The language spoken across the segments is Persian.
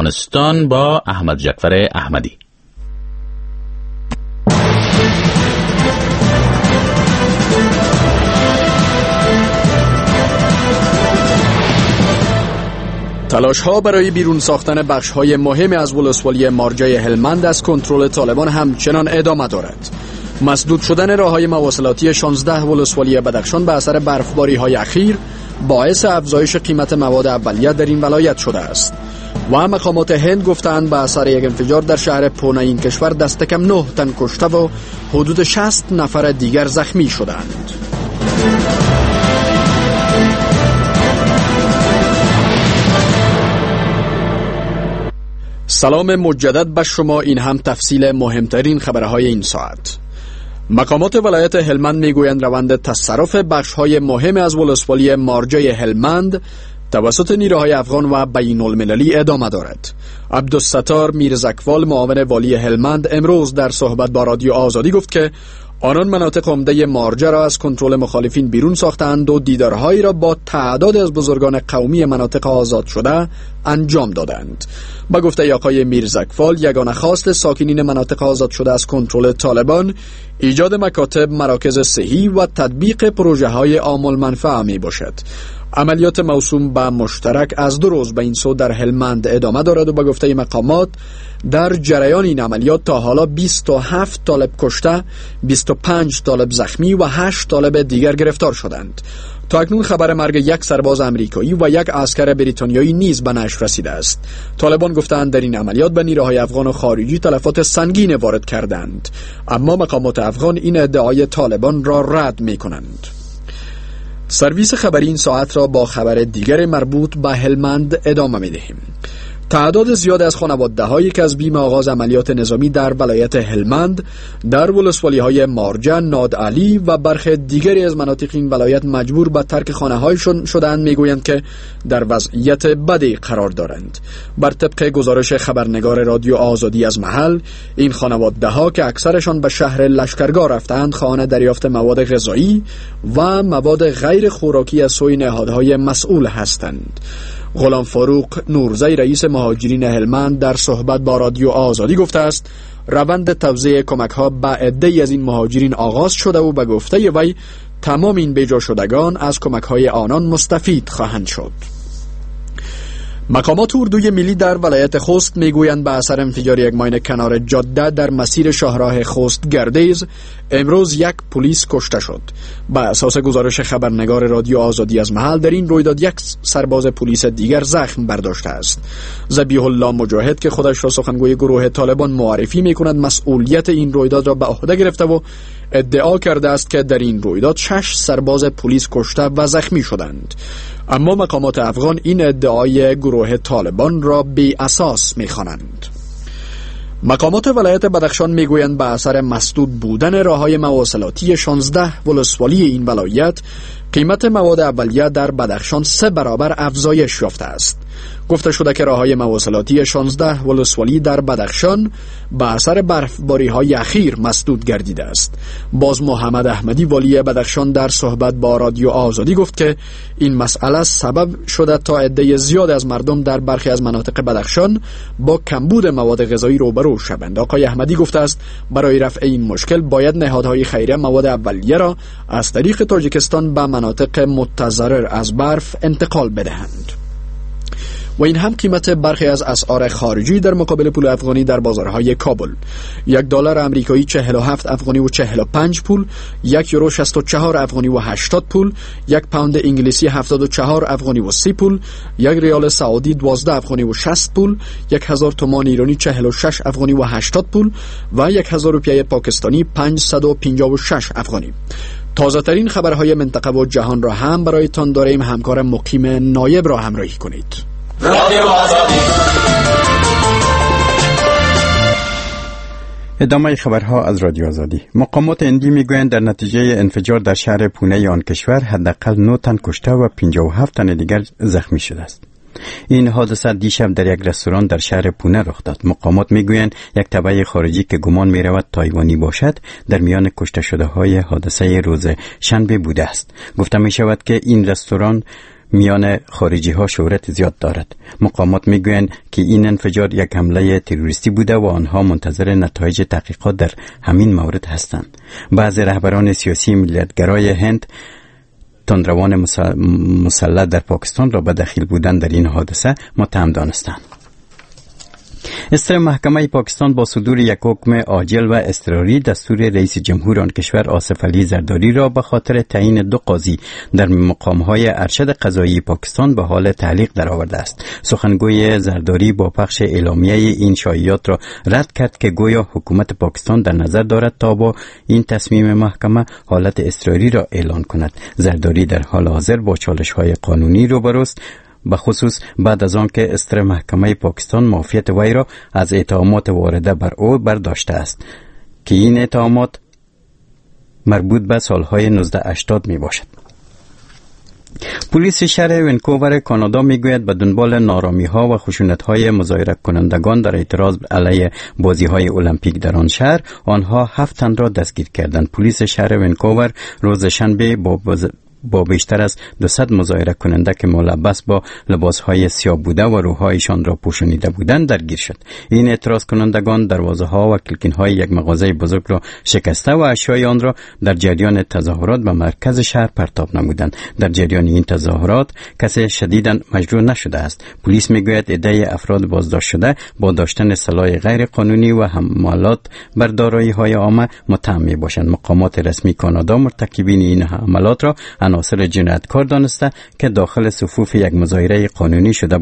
افغانستان با احمد جعفر احمدی. تلاش ها برای بیرون ساختن بخش های مهم از ولسوالی مارجه هلمند از کنترل طالبان همچنان ادامه دارد. مسدود شدن راه‌های مواصلاتی 16 ولسوالی بدخشان به اثر برفباری‌های اخیر باعث افزایش قیمت مواد اولیه در این ولایت شده است. و مقامات هند گفتند به اثر یک انفجار در شهر پونه این کشور دست کم 9 تن کشته و حدود 60 نفر دیگر زخمی شدند. سلام مجدد به شما، این هم تفصیل مهمترین خبرهای این ساعت. مقامات ولایت هلمند میگویند روند تصرف بخش‌های مهم از ولسوالی مارجه هلمند توسط نیروهای افغان و بین المللی ادامه دارد. عبدالستار میرزکوال معاون والی هلمند امروز در صحبت با رادیو آزادی گفت که آنان مناطق عمده مارجه را از کنترل مخالفین بیرون ساختند و دیدارهایی را با تعداد از بزرگان قومی مناطق آزاد شده انجام دادند. با گفته آقای میرزکوال، یگانه خواست ساکنین مناطق آزاد شده از کنترل طالبان ایجاد مکاتب، مراکز صحی و تطبیق پروژه های عام المنفعه می باشد. عملیات موسوم به مشترک از 2 روز به این سو در هلمند ادامه دارد و به گفته مقامات در جریان این عملیات تا حالا 27 طالب کشته، 25 طالب زخمی و 8 طالب دیگر گرفتار شدند. تا اکنون خبر مرگ یک سرباز امریکایی و یک عسکر بریتانیایی نیز به نشر رسیده است. طالبان گفتند در این عملیات به نیروهای افغان و خارجی تلفات سنگین وارد کردند، اما مقامات افغان این ادعای طالبان را رد می‌کنند. سرویس خبری این ساعت را با خبر دیگر مربوط به هلمند ادامه می‌دهیم. تعداد زیاد از خانواده‌هایی که از بیم آغاز عملیات نظامی در ولایت هلمند در ولسوالی‌های مارجه، نادعلی و برخی دیگری از مناطق این ولایت مجبور به ترک خانه‌هایشان شدند، می‌گویند که در وضعیت بدی قرار دارند. بر طبق گزارش خبرنگار رادیو آزادی از محل، این خانواده‌ها که اکثرشان به شهر لشکرگاه رفتند، خواهان دریافت مواد غذایی و مواد غیر خوراکی از سوی نهادهای مسئول هستند. غلام فاروق نورزی رئیس مهاجرین هلمند در صحبت با رادیو آزادی گفته است روند توزیع کمک‌ها به عده‌ای از این مهاجرین آغاز شده و به گفته وی تمام این بیجا شدگان از کمک‌های آنان مستفید خواهند شد. مقامات اردوی ملی در ولایت خوست میگویند به اثر انفجار یک ماین کنار جاده در مسیر شاهراه خوست گردیز امروز یک پلیس کشته شد. به اساس گزارش خبرنگار رادیو آزادی از محل، در این رویداد یک سرباز پلیس دیگر زخم برداشته است. ذبیح الله مجاهد که خودش را سخنگوی گروه طالبان معرفی میکند، مسئولیت این رویداد را به عهده گرفته و ادعا کرده است که در این رویداد 6 سرباز پلیس کشته و زخمی شدند. اما مقامات افغان این ادعای گروه طالبان را بی اساس می‌خوانند. مقامات ولایت بدخشان میگویند به اثر مسدود بودن راه‌های مواصلاتی 16 ولسوالی این ولایت، قیمت مواد اولیه در بدخشان 3 برابر افزایش یافته است. گفته شده که راه‌های مواصلاتی 16 ولسوالی در بدخشان به اثر برفباری‌های اخیر مسدود گردیده است. باز محمد احمدی والی بدخشان در صحبت با رادیو آزادی گفت که این مسئله سبب شده تا عده زیاد از مردم در برخی از مناطق بدخشان با کمبود مواد غذایی روبرو شوند. آقای احمدی گفته است برای رفع این مشکل باید نهادهای خیریه مواد اولیه را از طریق تاجیکستان به مناطق متضرر از برف انتقال بدهند. و این هم قیمت برخی از اسعار خارجی در مقابل پول افغانی در بازارهای کابل: $1 آمریکایی 47 افغانی و 45 پول، 1 یورو 64 افغانی و 80 پول، 1 پوند انگلیسی 74 افغانی و 30 پول، 1 ریال سعودی 12 افغانی و 60 پول، 1000 تومان ایرانی 46 افغانی و 80 پول و 1000 روپیه پاکستانی 556 افغانی. تازه ترین خبرهای منطقه و جهان را هم برایتان داریم. همکار مقیم نایب را همراهی کنید. ادامه خبرها از رادیو آزادی. مقامات هندی میگویند در نتیجه انفجار در شهر پونه آن کشور حداقل 9 تن کشته و 57 تن دیگر زخمی شده است. این حادثه دیشب در یک رستوران در شهر پونه رخ داد. مقامات میگویند یک تبعه خارجی که گمان میرود تایوانی باشد در میان کشته شده های حادثه روز شنبه بوده است. گفته می شود که این رستوران میان خارجی ها شهرت زیاد دارد. مقامات میگویند که این انفجار یک حمله تروریستی بوده و آنها منتظر نتایج تحقیقات در همین مورد هستند. بعضی رهبران سیاسی ملیتگرای هند تندروان مسلح در پاکستان را به دخیل بودن در این حادثه متهم دانستند. ستره محکمه پاکستان با صدور یک حکم عاجل و اضطراری دستور رئیس جمهور آن کشور آصف علی زرداری را به خاطر تعیین 2 قاضی در مقام‌های ارشد قضایی پاکستان به حال تعلیق درآورده است. سخنگوی زرداری با پخش اعلامیه این شایعات را رد کرد که گویا حکومت پاکستان در نظر دارد تا با این تصمیم محکمه حالت اضطراری را اعلان کند. زرداری در حال حاضر با چالش‌های قانونی روبروست، به خصوص بعد از آن که استر محکمه پاکستان معافیت وی را از اتهامات وارده بر او برداشته است که این اتهامات مربوط به سالهای 1980 می باشد. پلیس شهر ونکوور کانادا میگوید به دنبال نارامی ها و خشونت های مظاهره کنندگان در اعتراض علیه بازی های المپیک در آن شهر، آنها 7 تن را دستگیر کردند. پلیس شهر ونکوور روز شنبه با بیشتر از 200 مظاهره کننده که ملبس با لباسهای سیاه بوده و روحایشان را پوشانیده بودند درگیر شد. این اعتراض کنندگان دروازه ها و کلکین های یک مغازه بزرگ را شکسته و اشیای آن را در جریان تظاهرات به مرکز شهر پرتاب نمودند. در جریان این تظاهرات کسی شدیداً مجروح نشده است. پلیس میگوید عده افراد بازداشت شده با داشتن سلاح غیر قانونی و حملات بر دارایی های عامه متهم می باشند. مقامات رسمی کانادا مرتکبین این حملات را عناصر جنایتکار دانسته که داخل صفوف یک مظاهره قانونی شده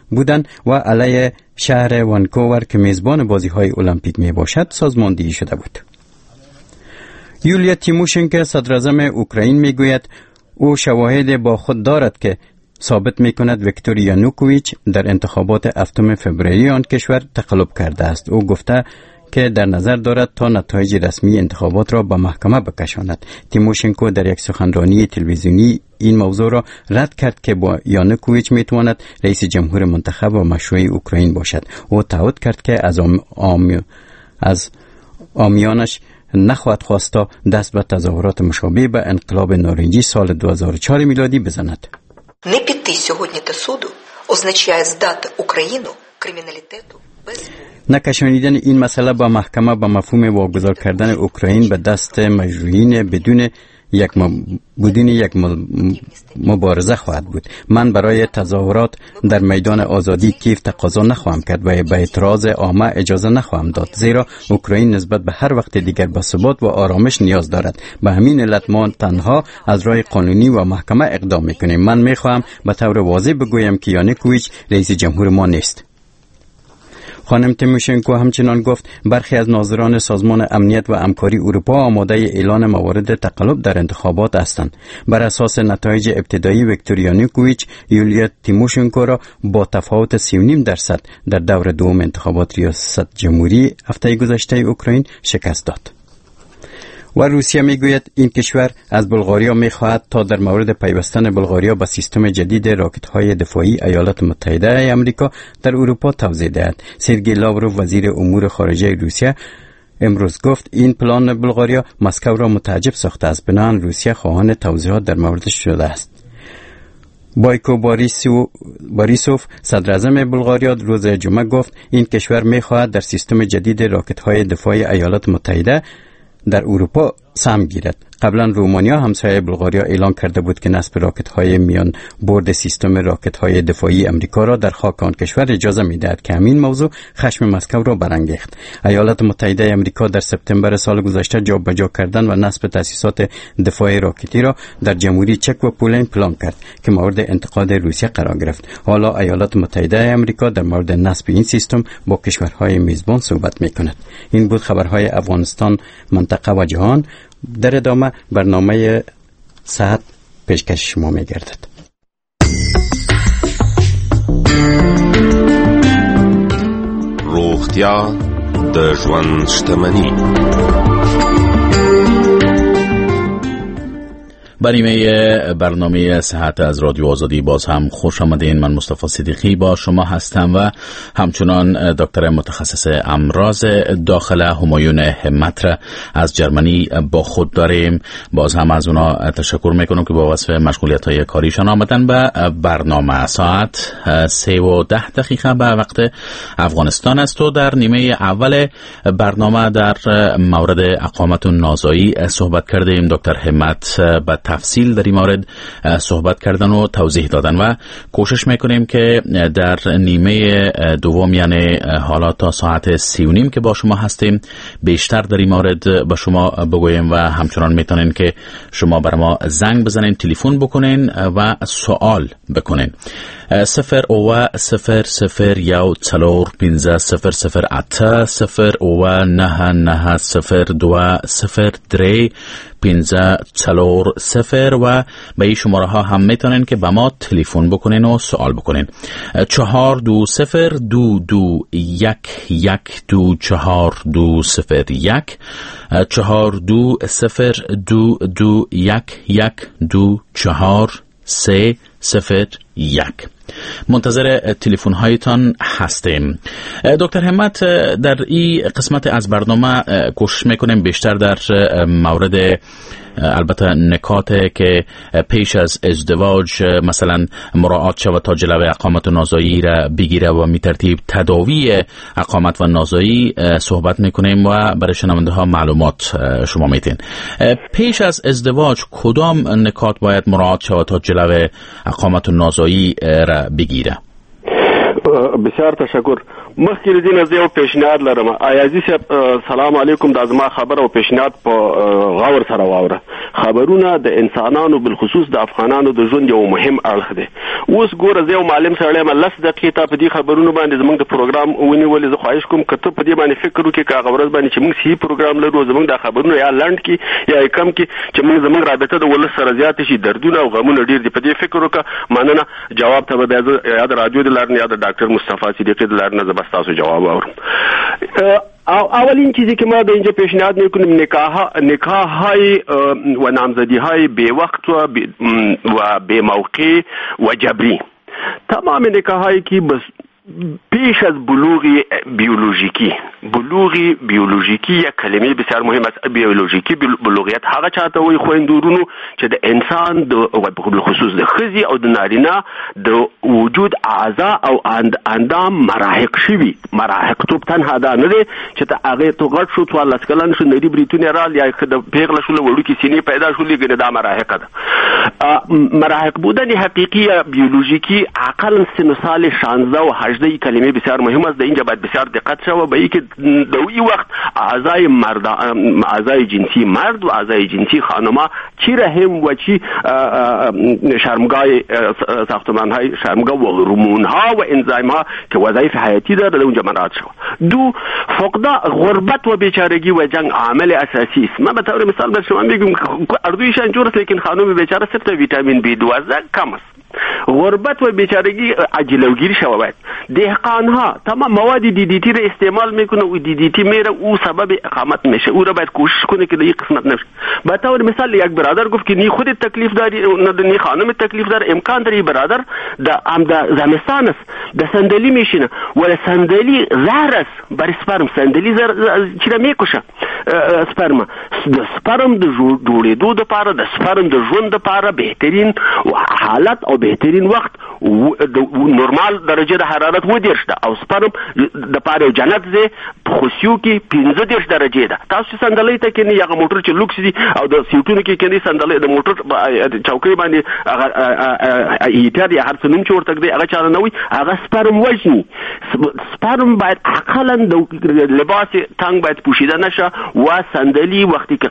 بودند و علیه شهر وانکوور که میزبان بازی‌های المپیک می باشد سازماندهی شده بود. یولیا تیموشنکو صدراعظم اوکراین میگوید او شواهد با خود دارد که ثابت میکند ویکتور یانوکوویچ در انتخابات 7 فوریه آن کشور تقلب کرده است. او گفته که در نظر دارد تا نتایج رسمی انتخابات را به محکمه بکشاند. تیموشنکو در یک سخنرانی تلویزیونی این موضوع را رد کرد که با یانوکوویچ میتواند رئیس جمهور منتخب و مشروع اوکراین باشد. او تعهد کرد که از آمیانش نخواهد خواست تا دست به تظاهرات مشابه به انقلاب نارنجی سال 2004 میلادی بزند. Не піти сьогодні до суду означає здати Україну криміналітету без نکشانیدن این مسئله با محکمه به مفهوم واگذار کردن اوکراین به دست مجروحین بدون یک مبارزه خواهد بود. من برای تظاهرات در میدان آزادی کیف تقاضا نخواهم کرد و به اعتراض عامه اجازه نخواهم داد، زیرا اوکراین نسبت به هر وقت دیگر به ثبات و آرامش نیاز دارد. به همین علت ما تنها از راه قانونی و محکمه اقدام میکنیم. من میخواهم به طور واضح بگویم که یانوکوویچ رئیس جمهور ما نیست. خانم تیموشنکو همچنان گفت برخی از ناظران سازمان امنیت و همکاری اروپا آماده اعلان موارد تقلب در انتخابات هستند. بر اساس نتایج ابتدایی ویکتور یانوکوویچ یولیا تیموشنکو را با تفاوت 3.5% در دور دوم انتخابات ریاست جمهوری هفته گذشته اوکراین شکست داد. و روسیه میگوید این کشور از بلغاریا میخواهد تا در مورد پیوستن بلغاریا به سیستم جدید راکت‌های دفاعی ایالات متحده آمریکا در اروپا توضیح دهد. سرگئی لاوروف وزیر امور خارجه روسیه امروز گفت این پلان بلغاریا مسکو را متعجب ساخته است، بنابراین روسیه خواهان توضیحات در موردش شده است. بایکو باریسوف صدراعظم بلغاریا روز جمعه گفت این کشور میخواهد در سیستم جدید راکت‌های دفاعی ایالات متحده در اروپا سهم گیرد. قبلا رومانیا همسایه بلغاریا اعلان کرده بود که نصب راکت‌های میان برد سیستم راکت‌های دفاعی امریکا را در خاک آن کشور اجازه می‌دهد که همین موضوع خشم مسکو را برانگیخت. ایالات متحده امریکا در سپتامبر سال گذشته جابجا کردن و نصب تأسیسات دفاع راکتی را در جمهوری چک و پولند پلان کرد که مورد انتقاد روسیه قرار گرفت. حالا ایالات متحده امریکا در مورد نصب این سیستم با کشورهای میزبان صحبت می‌کند. این بود خبرهای افغانستان، منطقه و جهان. در ادامه برنامه صحت پیشکش شما می گردد. روغتیا د ژوند شتمني. برنامه برنامه صحت از رادیو آزادی باز هم خوش آمدین. من مصطفی صدیقی با شما هستم و همچنان دکتر متخصص امراض داخله همایون همت را از جرمنی با خود داریم. باز هم از اونا تشکر میکنم که با وصف مشغولیت های کاریشان آمدن به برنامه. ساعت 3:10 به وقت افغانستان است و در نیمه اول برنامه در مورد اقامت نازایی صحبت کردیم. دکتر همت به تفصیل در این مورد صحبت کردن و توضیح دادن و کوشش میکنیم که در نیمه دوم، یعنی حالا تا ساعت 3:30 که با شما هستیم، بیشتر در این مورد با شما بگوییم و همچنان میتونین که شما بر ما زنگ بزنین، تلفن بکنین و سوال بکنین. 0 و 0 0 1 4 5 0 0 8 0 و 9 9 0 2 0 3 5 4 0 و به این شماره ها هم میتونین که به ما تلفن بکنین و سوال بکنین. 4 2 0 2 2 1 1 2 4 2 0 1 4 2 0 2 2 1 1 2 4 3 0 1. منتظر تلفن هایتان هستیم. دکتر همت، در این قسمت از برنامه کوشش میکنیم بیشتر در مورد البته نکات که پیش از ازدواج مثلا مراعات شود تا جلوی اقامت و نازایی را بگیره و می ترتیب تداوی اقامت و نازایی صحبت میکنیم و برای شنونده ها معلومات شما میتین. پیش از ازدواج کدام نکات باید مراعات شود تا جلوی اقامت و نازایی را بگیره؟ بسیار تشکر. مخکې له دې نه زه یو پیشنهاد لرم. ایازي صاحب سلام علیکم. دا زما خبره او پیشنهاد په غور سره واوره. خبرونه د انسانانو بالخصوص د افغانانو د ژوند یو مهم اړخ دی. اوس ګوره زه یو معلم سړی یم، 10 دقیقې تا په دې خبرونو باندې زموږ د پروګرام ونیولې. زه خواهش کوم که ته په دې باندې فکر وکړې که هغه ورځ باندې چې موږ صحیح پروګرام لرو، زموږ دا خبرونه یا لنډ کړي یا یې کم کړي چې موږ زموږ رابطه د ولس سره زیاته شي. دردونه او غمونه ډېر دي، په دې فکر وکړه. مننه. جواب ته به بیا زه یا د رادیو د لارې نه یا د ډاکټر مصطفی صدیقي د لارې نه زه به ستاسو جواب واورم. اولین چیزی که ما به اینجا پیشنهاد میکنیم نکاح های و نامزدی های بی وقت و بی موقع و جبری. تمام نکاح هایی که بس پیش از بلوغ بیولوژیکی، بلوغ بیولوژیکی یک کلمه بسیار مهم است. بیولوژیکی بلوغیت هغه چاته وایي خویندو ورونو چې د انسان د بالخصوص د ښځې او د نارینه د وجود اعضا او اندام مراهق شوي. مراهق توب تنها دا نه دی چې ته هغې ته غټ شو، 14 کلن شو، نري بریتونه رال یا د پیغله شوله، وړوکې سینې پیدا شولې، ګنې دا مراهقه ده. مراهق بودن حقیقی یا بیولوژیکی اقلا سن سال 16 و 18 کلمه بسیار مهم است. در اینجا باید بسیار دقت شود به اینکه در این وقت اعضای مرد، اعضای جنسی مرد و اعضای جنسی خانما چی رحم و چی شرمگاه ساختمان های شرمگاه و هورمون ها و انزایم ها که وظایف حیاتی داره در اونجا مراعات شود. دو، فقدان غربت و بیچارگی و جنگ عامل اساسی است. من به طور مثال به شما میگم اردویشان جور است، لیکن خانم بیچاره صرف ویتامین بی 12 کم است. غربت و بیچارگی جلوگیری شود. باید دهقان ها تمام مواد دی دی تی را استعمال میکنه و دی دی تی میره او سبب اقامت میشه. او را باید کوشش کنه که در این قسمت نشه. به طور مثال یک برادر گفت که نی خودت تکلیف داری نی خانم تکلیف داره، امکان داره برادر در هم در زمستان است در صندلی میشینه ولی صندلی زهر است برای سپرم. صندلی چرا میکشه سپرم. د سپرم د جوړېدو دپاره، د سپرم د ژوند دپاره بهترین حالت او بهترین وخت د نورمال درجه د حرارت 30 ده او سپرم د پاره جنت دی په خوسیو کې 35 درجه ده. تاسو صندلۍ ته کینئ، هغه موټر چې لوکس دي او د سیټونو کې کینئ، صندلۍ د موټر چوکۍ باندې هغه هیټر یا هر څه نوم چې ورته ږدي هغه چاله نه وي، هغه سپرم وژني. سپرم باید اقلا د لباس تنګ باید پوشیده نشه و صندلی وقتی که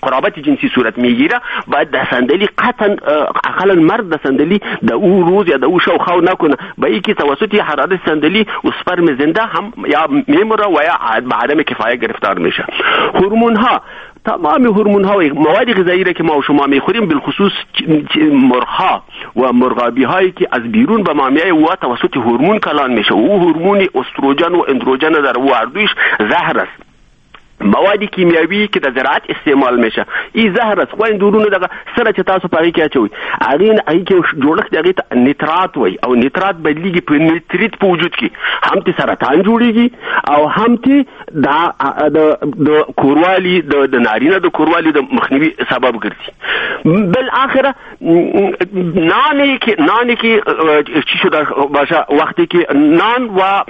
قرابت جنسی صورت میگیره باید در صندلی قطعا اقلا مرد در صندلی در او روز یا در او شو خو نکنه، به اینکه توسط حرارت صندلی و سپرم زنده هم یا میمره و یا به عدم کفایه گرفتار میشه. هورمون ها، تمام هورمون ها و مواد غذایی را که ما و شما میخوریم، بالخصوص مرغ ها و مرغابی هایی که از بیرون به ما میایه و توسط هورمون کلان میشه و او هورمون استروژن و اندروژن در او هر دویش زهر است. مواد کیمیاوی که در زراعت استعمال میشه این زهر است. خو این دورونه دغه سره چې تاسو په هغې کې اچوئ، هغې کې جوړښت هغې ته نیترات وایي، او نیترات بدلیږي په نیتریت په وجود کې، هم ته سرطان جوړیږي او هم ته د کوروالي د نارینه د کوروالي د مخنیوي سبب ګرځي. بالاخره نانی که چی شده باشه، وقتی که نان و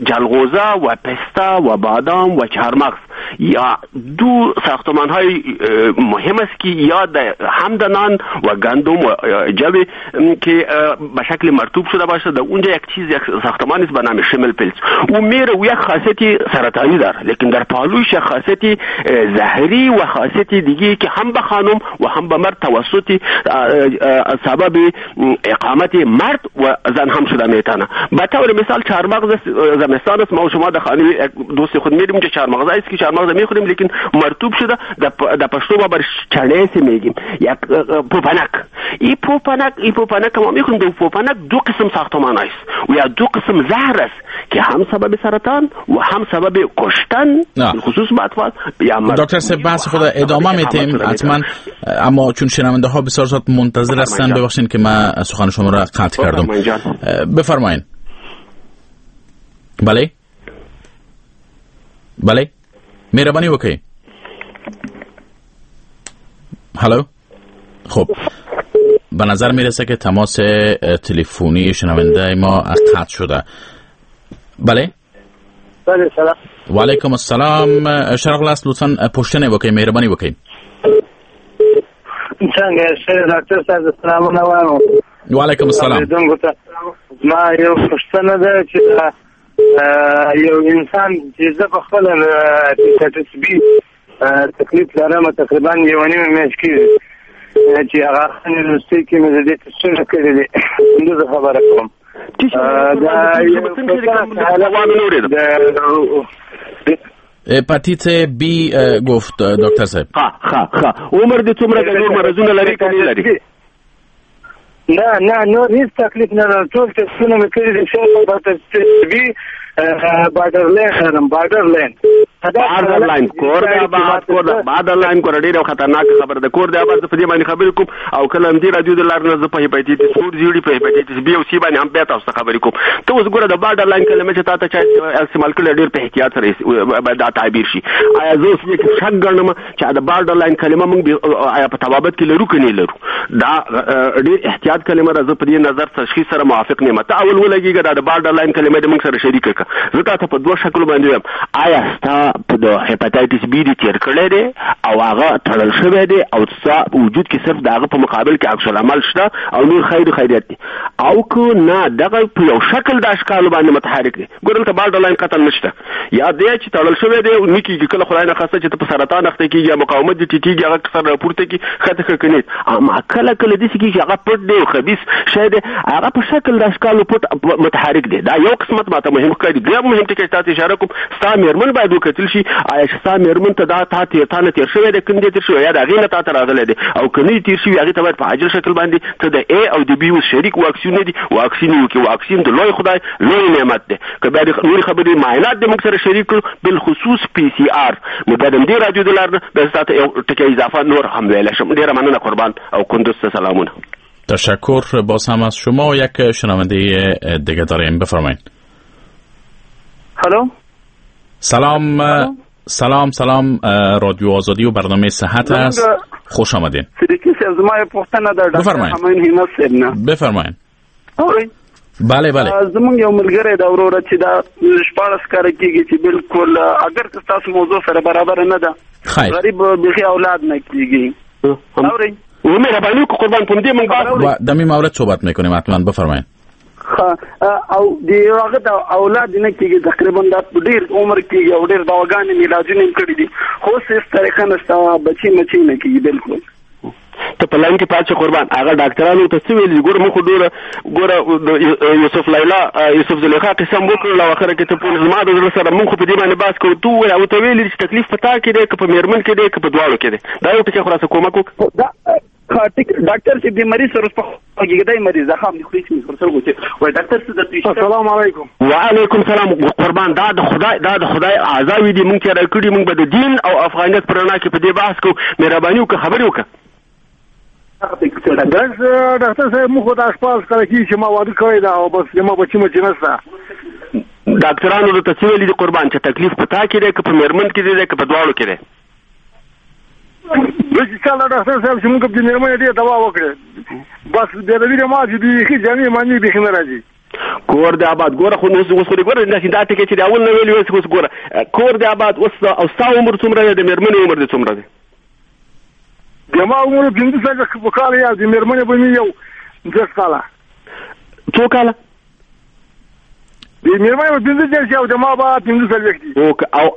جلغوزه و پسته و بادام و چهارمغز یا دو ساختمان های مهم است که یا هم د نان و گندم و جو که به شکل مرطوب شده باشه، در اونجا یک چیز، یک ساختمان است به نام شمل پلز، و میره و یک خاصیت سرطانی داره، لیکن در پالوش یک خاصیت زهری و خاصیت دیگه که هم به خانم و هم به مرد توسط سبب اقامت مرد و زن هم شده میتونه. به طور مثال چهارمغز زمستان است، ما و شما در خانه دوست خود میریم اونجا چهارمغز است که چهارمغز میخوریم، لیکن مرطوب شده، در پشتو ما بر چنه میگیم یک پوپنک. این پوپنک ما میخوریم. در پوپنک دو قسم ساختمان است و یا دو قسم زهر است که هم سبب سرطان و هم سبب کشتن خصوص اطفال یا مرد. دکتر صاحب بحث خود ادامه میتیم حتما، اما چون شنونده ها بسیار زیاد منتظر هستند، ببخشید که من سخن شما را قطع کردم. بفرمایید. بله بله، مهربانی وکړئ. هلو. خب به نظر میرسه که تماس تلفنی شنونده ما قطع شده. بله بله، سلام. و علیکم السلام. شرق است، لطفاً پوښتنه وکړئ، مهربانی وکړئ. څنګه یې ډاکټر صاحب؟ سلامونه وایم. و علیکم السلام. ما یو پوښتنه ده چې یو انسان چې زه په خپله هیپاټایټس بي تکلیف لرم، تقریبا یوه نیمه میاشت کېږي چې هغه وروستۍ کې مې د دې تستونه کړي دي، کندوز خبره کوم. هپاتیت بی گفت دکتر صاحب. ښه عمر دې څومره دی؟ نور مرضونه لري که نه لري؟ نه نه، نور هیڅ تکلیف نه لرم، ټول تستونه مې کړي دي. بي بارډر لاین لرم، بارډر لاین کور د آباد، کور د بارډر لاین کور ډېره خطرناک خبره ده. کور د آباد په دې باندې خبرې کوم، او کله هم دې رادیو د لارې نه زه په هیپاټایټس تور زیړي، په هیپاټایټس بي او سي باندې هم بیا تاسو ته خبرې کوم. ته اوس ګوره د بارډر لاین کلمه چې تا ته چا استعمال کړې، ډېر په احتیاط سره دا تعبیر شي. آیا زه اوس دې کې شک ګڼم چې د بارډر لاین کلمه موږ آیا په طبابت کې لرو که نه لرو؟ دا ډېر احتیاط کلمه ده. زه په دې نظر تشخیص سره موافق نه یم. ته اول ولګېږه دا د بارډر لاین کلمه دې موږ سره شریکه کړه. زه تا ته په دوه شکلو باندې وایم. آیا ستا په د هیپاټایټس بي دې تېر کړی دی او هغه تړل شوی دی او ستا وجود کې صرف د هغه په مقابل کې عکس العمل شته او نور خیر خیریت دی، او که نه دغه په یو شکل د اشکالو باندې متحرک دی؟ ګوره دلته بارډر لاین قتل نشته، یا دی چې تړل شوی دی نه کېږي، کله خدای نخواسته چې ته په سرطان اخته کېږي یا مقاومت دې ټیټېږي، هغه سر راپورته کړي، ښه ته ښه که نه. اما کله کله داسې کېږي چې هغه پټ دی او خبیث شی دی، هغه په شکل د اشکالو پټ متحرک دی. دا یو قسمت ماته مهم ښکاري. دویم مهم ټکی چې تاسو اشاره کوم، ستا مېرمن باید وکتل شي، آیا چې ستا مېرمن ته دا تا نه تېر شوی دی که نه دی تېر شوی، یا د هغې نه تا ته راغلی دی، او که نه تېر شوي هغې ته باید په عاجل شکل باندې ته د ای او د بي اوس شریک واکسین دي، واکسین وکړي. واکسین د لوی خدای لوی نعمت دی. که بیا د نورې خبرې معاینات دې موږ سره شریک کړو، بالخصوص پی سی آر، نو بیا د همدې راډیو د لارې نه بیا زه تا ته یو ټکی اضافه نور هم ویلی شم. ډېره مننه قربان او کندوز ته سلامونه. تشکر باز هم از شما. یک شنونده دیگه داریم، بفرمایید. هلو. سلام. سلام سلام، رادیو آزادی و برنامه صحت است، خوش آمدین. صدیقی صاحب زما یو پوښتنه ده ډاکټر همایون همت صاحب نه. بفرمایید. اورئ؟ بله بله. زمونږ یو ملګری ده وروره چې دا 16 کاله کېږي چې بالکل اګر که ستاسو موضوع سره برابره نه ده، غریب بیخي اولاد نه کېږي. اورئ؟ و مهربانی وکړه قربان، په همدې موږ بحث در این مورد صحبت میکنیم حتما. بفرمایید. او د هغه د اولاد نه کېږي، تقریبا دا ډېر عمر کېږي او ډېر دواګانې مې علاجونه یې کړي دي، خو اوس هېڅ طریقه نشته، بچي مچي نه کېږي بالکل. ته په لاین کې پاتې قربان. هغه ډاکټرانو ته څه ویلي؟ ګوره موږ خو ډېره ګوره یوسف لیلا یوسف زلیخا قصه هم وکړله او اخره کې ته پوه زما د زړه سره موږ خو په دې باندې بحث کوو. ته ووایه، هغه ته ویلي چې تکلیف په تا کې دی که په مېرمن کې دی که په دواړو کې دی؟ دا یو ټکی خو راسره کومک وکړه. ډاکټر صاحب د مریض سره په غږېدای مریض زخم دی خو هیڅ ورسره وکړي. وای ډاکټر صاحب درته السلام علیکم. وعلیکم سلام. قربان دا د خدای اعضاوې دي، مونږ تیاره کړي، مونږ به د دین او افغانیت په رڼا کې په دې بحث کوو. مهرباني وکړه خبرې وکړه. ډاکټر صاحب موږ خو دا 16 کاله کېږي چې ما واده کړی ده او بس زما بچي مچي نشته. ډاکټرانو درته څه ویلي دي قربان، چې تکلیف په تا کې دی که په مېرمن کې دی که په دواړو کې دی؟ داسې چل ډاکټر صاحب چې موږ د مېرمنې ډېره دوا وکړې، بس بیا د وینې ما چې بیخي جامې مانې بیخي نه راځي. کور دې آباد. ګوره خو اوس خو دې ګوره داسې دا ټکی چې د اول نه ویلي اوس ګوره کور دې آباد. اوس او ستا عمر څومره دی، د مېرمنې عمر دې څومره دی؟ د ما عمر 45 کاله یا د مېرمنې به مې یو 10 کاله. څو کاله؟ د مېرمنې به 35 او د ما به 45 دي.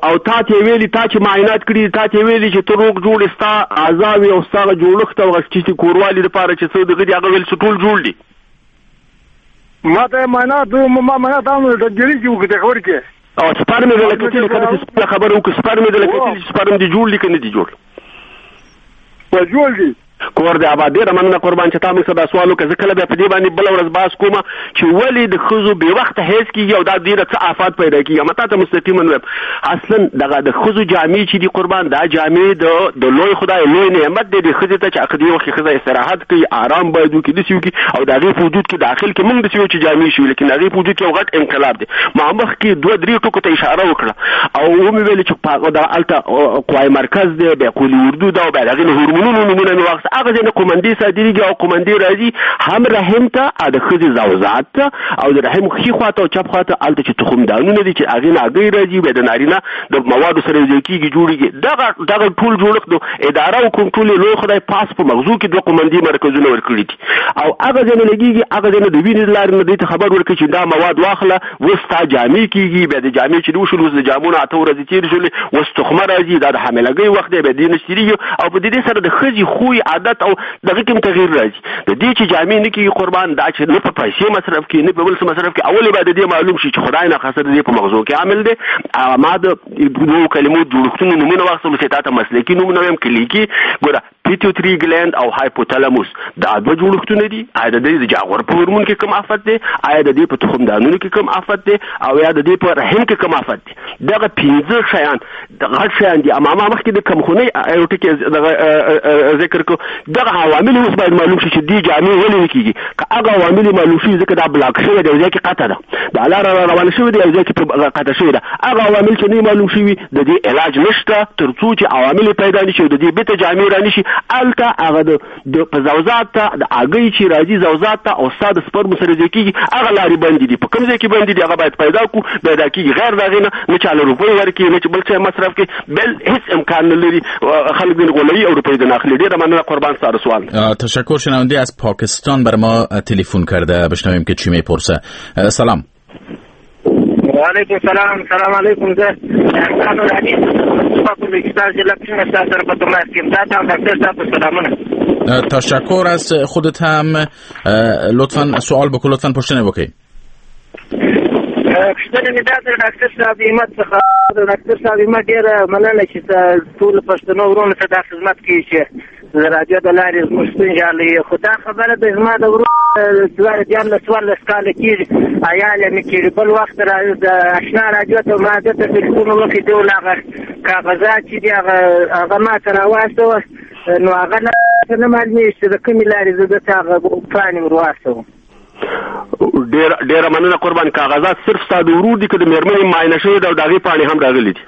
او تا ته ویلي، تا چې معاینات کړي، تا ته ویلي چې ته روغ جوړ یې، ستا اعضاوې او ستا هغه جوړښت او هغه چې کوروالي دپاره چې څه دغه دي هغه ویل چې ټول جوړ دي؟ ما ته معاینات ما معاینات هم ډګري کې وکړې خبر کې. او سپرم یې درله کتلي که نه؟ چې خپله خبره وکړو، سپرم یې درله کتلي چې سپرم دې جوړ دي که نه دي جوړ؟ جوړ دي. کور دې آباد. ډېره مننه قربان چې تا موږ سره دا سوال وکړ. زه کله بیا په دې باندې بله ورځ بحث کوم چې ولې د ښځو بې وخته حیض کېږي او دا ډېره څه آفات پیدا کېږي. اما تا ته مستقیما وایم، اصلا دغه د ښځو جامې چې دي قربان، دا جامې د لوی خدای لوی نعمت دی د ښځې ته چې هغه دې وخت کې ښځه استراحت کوي، آرام باید وکړي، داسې وکړي او د هغې په وجود کې داخل کې موږ داسې یو چې جامې شوي، لیکن د هغې په وجود کې یو غټ انقلاب دی. ما مخکې 2-3 ټکو ته اشاره وکړه او ومې ویل چې دغه هلته قوای مرکز دی، بیا قولي اردو ده او بیا د هغې نه هورمونونو نومونه مې واخیستل. هغه ځای نه قومندې صادرېږي او قومندې راځي هم رحم ته، د ښځې زوزات ته او د رحم ښي خوا ته او چپ خوا ته، هلته چې تخمدانونه دي چې هغې نه هګۍ راځي، بیا د نارینه د موادو سره یو ځای کېږي جوړېږي. دغه ټول جوړښت د اداره او کنټرول یې لوی خدای پاس په مغزو کې 2 قومندې مرکزونه ورکړي دي او هغه ځای نه لګېږي، هغه ځای نه د وینې د لارې نه دوی ته خبر ورکړي چې دا مواد واخله، اوس ستا جامې کېږي. بیا د جامې چې وشول، اوس د جامو نه 8 ورځې تېرې شولې، اوس تخمه راځي، دا د حاملګۍ وخت دی، بیا دې نه تېرېږي او په دې سره د ښځې خوی، عادت او دغه کې هم تغییر راځي. د دې چې جامې نه کېږي قربان، دا چې نه په پیسې مصرف کړي نه په بل څه مصرف کړي، اول باید د دې معلوم شي چې خدای ناخواسته د دې په مغزو کې عامل دی. ما د دوو کلمو جوړښتونو نومونه واخیستل چې تا ته مسلکي نومونه وایم، کلیکي. ګوره pituitary gland او hypothalamus دا دوه جوړښتونه دي. آیا د دې د جاغور په هورمون کې کوم آفت دی، آیا د دې په تخمدانونو کې کوم آفت دی، او یا د دې په رحم کې کوم آفت دی؟ دغه 5 شیان غټ شیان دي. اما ما مخکې د کمخونۍ یو ټکی دغه ذکر کړو. دغه عوامل اوس باید معلوم شي چې دې جامې ولې نه کېږي. که هغه عوامل معلوم شي، ځکه دا block شوی دی، یو ځای کې قطع ده، دا لاره را روانه شوې ده، یو ځای کې قطع شوې ده. هغه عوامل چې نه معلوم شوي د دې علاج نشته تر څو چې عوامل پیدا نه شي او د دې بیرته جامې را نه شي. هلته هغه د په زوزات ته د هګۍ چې راځي زوزات ته او ستا د سپرمو سره ځای کېږي، هغه لارې بندې دي. په کوم ځای کې بندې دي هغه باید پیدا کړو، پیدا کېږي. غیر د هغې نه چا له روپۍ ورکړي نه چې بل څه مصرف کړي، بل هیڅ امکان نه لري. خلک دې غولوي او روپۍ دې نه اخلي. ډېره مننه قربان، ستا د سوال. تشکر. شنونده از پاکستان بر ما تلفن کرده، بشنویم که چی میپرسه. سلام. وعلیکم سلام. سلام علیکم. زه احسان العلی په پاکستان ضلع پښین ستاسو سره په تماس کې یم. تاته او ډاکټر صاحب سلامونه. تشکر از خودت هم. لطفا سوال بکن، لطفا پوښتنه بکن. پوښتنه مې دا ده ډاکټر صاحب همت څخه، ډاکټر صاحب همت ډېره مننه چې ټولو پښتنو وروڼو ته دا خدمت کوي چې د راډیو د لارې زموږ ستونزې حلوي. خو دا خبره ده زما د ورور 2013 کاله کېږي، عیال یې مې کېږي. بل وخت د اشنا راډیو ته ما ده ته تلفون وکړ، دی ویل هغه کاغذات چې دي هغه ما ته راواستوه، نو هغه نه معلومېږي چې د کومې لارې زه ده ته هغه پاڼې ور واستوم. ډېره مننه قربان. کاغذات صرف ستا د ورور دي که د مېرمنې معاینه شوې ده او د هغې پاڼې هم راغلي دي؟